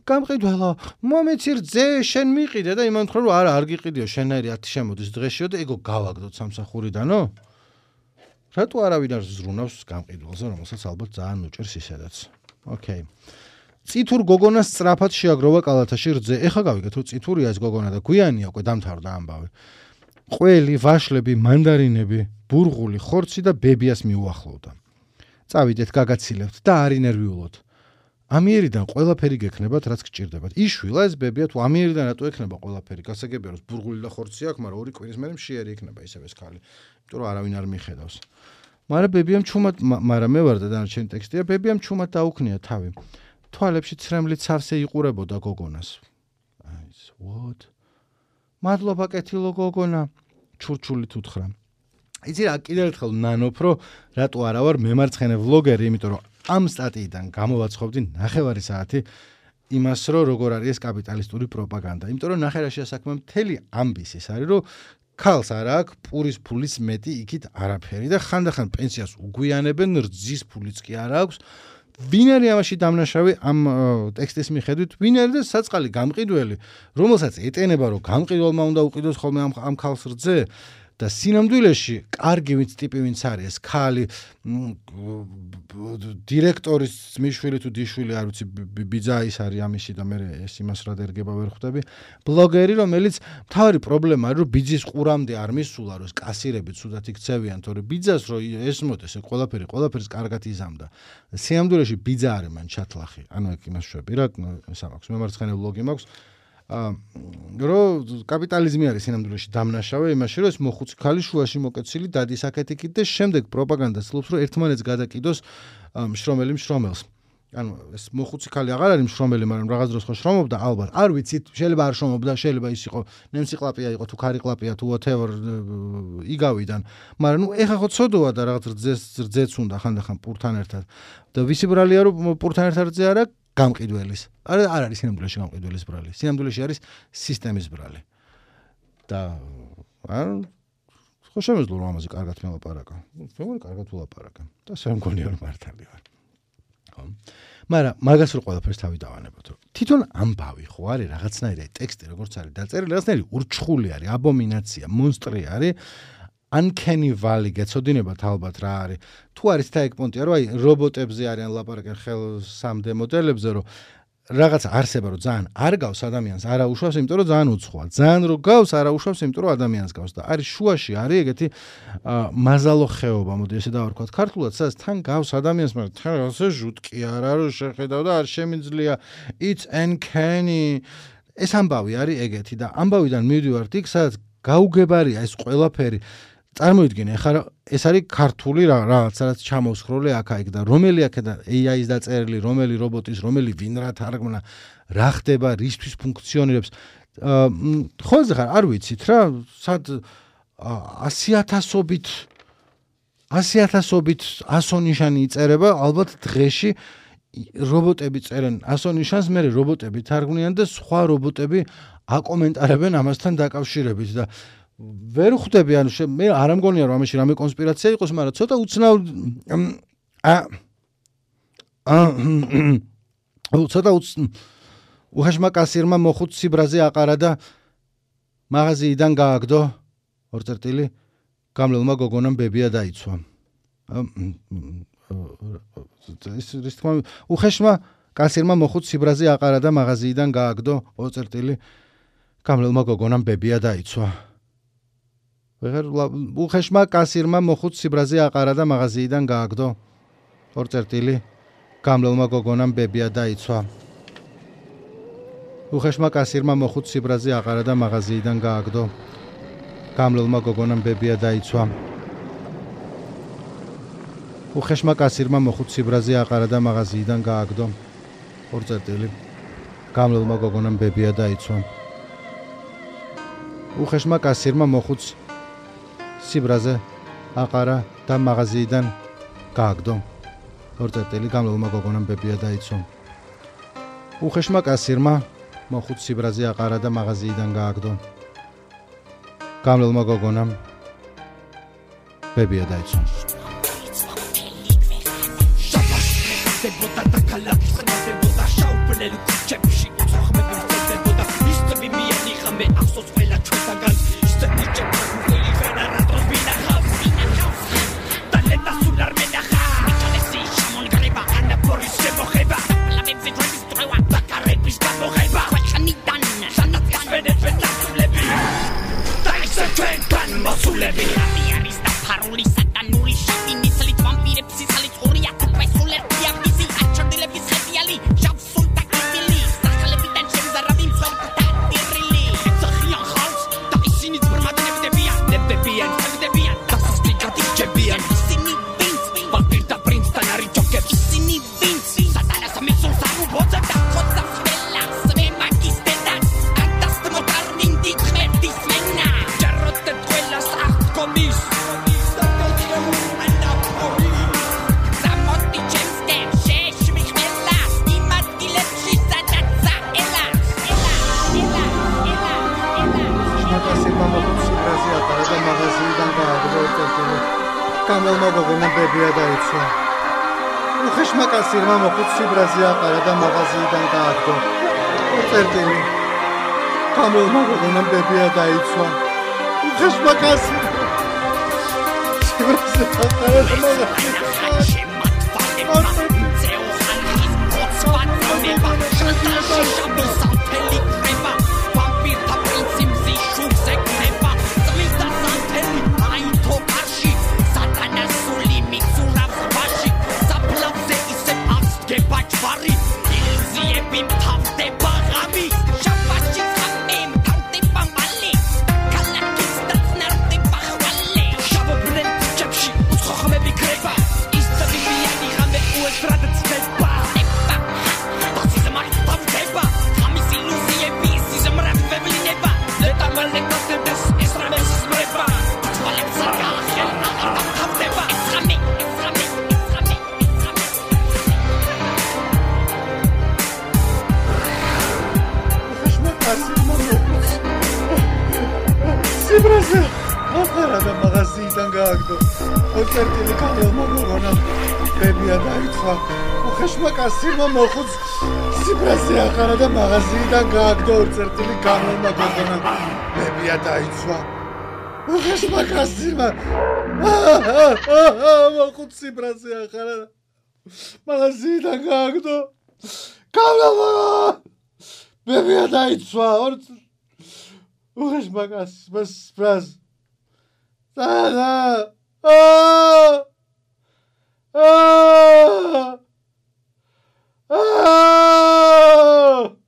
გამყიდველო, მომეცი რძე შენ მიყიდე და იმან უთხრა რომ არა არ გიყიდიო, შენაირი ათი შემოდის დღეშიო და ეგო გავაგდოთ სამსახურიდანო. რატო არავინ არ ზრუნავს გამყიდველზე, რომელსაც ალბათ ძალიან უჭერს ისედაც. ოკეი. წითურ გოგონას სწრაფად შეაგროვა კალათაში რძე. ეხა გავიგეთ რომ წითურია ეს გოგონა და გვიანია უკვე დამთავრდა ამბავი. ყველი, ვაშლები, მანდარინები, ბურღული, ხორცი და ბებიას მიუახლოვდა. წავიდეთ, გაგაცილებთ და არ ინერვიულოთ. ამიერიდან ყველაფერი გექნებათ, რაც გჭირდებათ. იშვილა ეს ბებია თუ ამიერიდან რატო ექნება ყველაფერი? გასაგებია რომ ბურღული და ხორცი აქვს, მაგრამ ორი კვირის მერე მშიერი იქნება ისევ ეს ქალი. იმიტომ რომ არავინ არ მიხედავს. მაგრამ ბებიამ ჩუმად, მაგრამ მე ვარ და დანარჩენი ტექსტია, ბებიამ ჩუმად დაუქნია თავი. თვალებში ცრემლით სავსე იყურებოდა გოგონას. აი, what? მადლობა კეთილო გოგონა, ჩურჩულით უთხრა. იცი რა, კიდევ ერთხელ ნანობ, რომ რატო არა ვარ მემარცხენე ვლოგერი, იმიტომ რომ ამ სტატიიდან გამოვაცხობდი ნახევარი საათი იმას, რომ როგორ არის ეს კაპიტალისტური პროპაგანდა. იმიტომ რომ ნახევარშია საქმე მთელი ამბის ის არის, რომ ქალს არ აქვს პურის ფულის მეტი იქით არაფერი და ხანდახან პენსიას უგვიანებენ, რძის ფულიც კი არ აქვს. ვინ არის ამაში დამნაშავე ამ ტექსტის მიხედვით? ვინ არის და საწყალი გამყიდველი, რომელსაც ეტენება რომ გამყიდველმა უნდა უყიდოს ხოლმე ამ ამ ქალს რძე და სინამდვილეში კარგი ვინც ტიპი ვინც არის ეს ქალი დირექტორის მიშვილი თუ დიშვილი არ ვიცი ბიძა ის არის ამისი და მე ეს იმას რა დერგება ვერ ხვდები ბლოგერი რომელიც თავი პრობლემა არის რომ ბიძის ყურამდე არ მისულა რომ ეს კასირები ცუდად იქცევიან თორე ბიძას რომ ესმოდეს ეს ყველაფერი ყველაფერს კარგად იზამდა სინამდვილეში ბიძა არის მან ჩათლახი ანუ ეგ იმას შვები რა სამ აქვს მემარცხენე ბლოგი მაქვს რომ კაპიტალიზმი არის სინამდვილეში დამნაშავე იმაში, რომ ეს მოხუცი ქალი შუაში მოკეცილი დადის აქეთ-იქით და შემდეგ პროპაგანდა ცდილობს, რომ ერთმანეთს გადაკიდოს მშრომელი მშრომელს. ანუ ეს მოხუცი ქალი აღარ არის მშრომელი, მაგრამ რაღაც დროს ხო შრომობდა, ალბათ. არ ვიცით, შეიძლება არ შრომობდა, შეიძლება ის იყო ნემსიკლაპია იყო თუ ქარიკლაპია თუ whatever იგავიდან. მაგრამ ნუ ეხა ხო ცოდოა და რაღაც რძეს რძეც უნდა ხანდახან პურთან ერთად. და ვისი ბრალია რომ პურთან ერთად რძე არა გამყიდველის. არ არ არის სინამდვილეში გამყიდველის ბრალი. სინამდვილეში არის სისტემის ბრალი. და არ ხო შემეძლო რომ ამაზე კარგად მელაპარაკა. მე კარგად ვლაპარაკა. და ასე მგონია რომ მართალი ვარ. მაგრამ მაგას რო ყველაფერს თავი დავანებოთ რომ თვითონ ამბავი ხო არის რაღაცნაირი ტექსტი როგორც არის დაწერილი რაღაცნაირი ურჩხული არის აბომინაცია მონსტრი არის uncanny valley გეცოდინებათ ალბათ რა არის თუ არის და ეგ პონტია რომ აი რობოტებზე არიან ლაპარაკენ ხელსამდე მოდელებზე რომ რაღაცა არსება რომ ძალიან არ გავს ადამიანს არა უშავს იმიტომ რომ ძალიან უცხოა ძალიან რო გავს არა უშავს იმიტომ რომ ადამიანს გავს და არის შუაში არის ეგეთი მაზალო ხეობა მოდი ესე დავარქვათ ქართულად სადაც თან გავს ადამიანს მაგრამ თან ასე ჟუტკი არა რომ შეხედავ და არ შემიძლია it's uncanny ეს ამბავი არის ეგეთი და ამბავიდან მივდივართ იქ სადაც გაუგებარია ეს ყველაფერი წარმოიდგინე ხა ეს არის ქართული რაღაც რაც ჩამოსხროლე აქა-იქ და რომელი აქედან ეი აის დაწერილი, რომელი რობოტის, რომელი ვინ რა თარგმნა, რა ხდება, რისთვის ფუნქციონირებს. ხოლმე ხარ არ ვიცით რა, სად ასი ათასობით ასი ათასობით ასონიშანი იწერება, ალბათ დღეში რობოტები წერენ ასონიშანს, მე რობოტები თარგმნიან და სხვა რობოტები აკომენტარებენ ამასთან დაკავშირებით და ვერ ხვდები ანუ მე არ ამგონია რომ ამაში რამე კონსპირაცია იყოს, მაგრამ ცოტა უცნაურ ა ცოტა უხეშმა კასირმა მოხუცი ბრაზე აყარა და მაღაზიიდან გააგდო ორ წერტილი გამლელმა გოგონამ ბებია დაიცვა. ის ის თქმა უხეშმა კასირმა მოხუცი ბრაზე აყარა და მაღაზიიდან გააგდო ორ წერტილი გამლელმა გოგონამ ბებია დაიცვა. უხეშმა კასირმა მოხუცი ბრაზე აყარა და მაღაზიიდან გააგდო ორ წერტილი გამლელმა გოგონამ ბებია დაიცვა. უხეშმა კასირმა მოხუცი ბრაზე აყარა და მაღაზიიდან გააგდო გამლელმა გოგონამ ბებია დაიცვა. უხეშმა კასირმა მოხუცი ბრაზე აყარა და მაღაზიიდან გააგდო ორ წერტილი გამლელმა გოგონამ ბებია დაიცვა. უხეშმა კასირმა მოხუცი სიბრაზე აყარა და მაღაზიიდან გააგდო ორ წერტილი გამლელმა გოგონამ ბებია დაიცვა. უხეშმა კასირმა მოხუცი სიბრაზე აყარა და მაღაზიიდან გააგდო გამლელმა გოგონამ ბებია დაიცვა. გამლელმა გოგონამ ბებია დაიცვა. უხეშმა კასირმა მოხუცი ბრაზე აყარა და მაღაზიიდან გააგდო ორ წერტილი გამლელმა გოგონამ ბებია დაიცვა. უხეშმა კასირმა ბრაზე აყარა და მაღაზიიდან Get back, Barry. Ilzie bim tam de bagami. Shabashi სიბრაზე ახარა და მაღაზიიდან გააგდო ოქერტილი კამელმა გოგონამ ბებია დაიწვა უხეშმა კაცმა მოხუც სიბრაზე ახარა და მაღაზიიდან გააგდო ოქერტილი კამელმა გოგონამ ბებია დაიწვა უხეშმა კაცმა მოხუც სიბრაზე ახარა მაღაზიიდან გააგდო კამელმა ბებია დაიწვა უხეშმა კაცმა სიბრაზე და და Ah! Ah!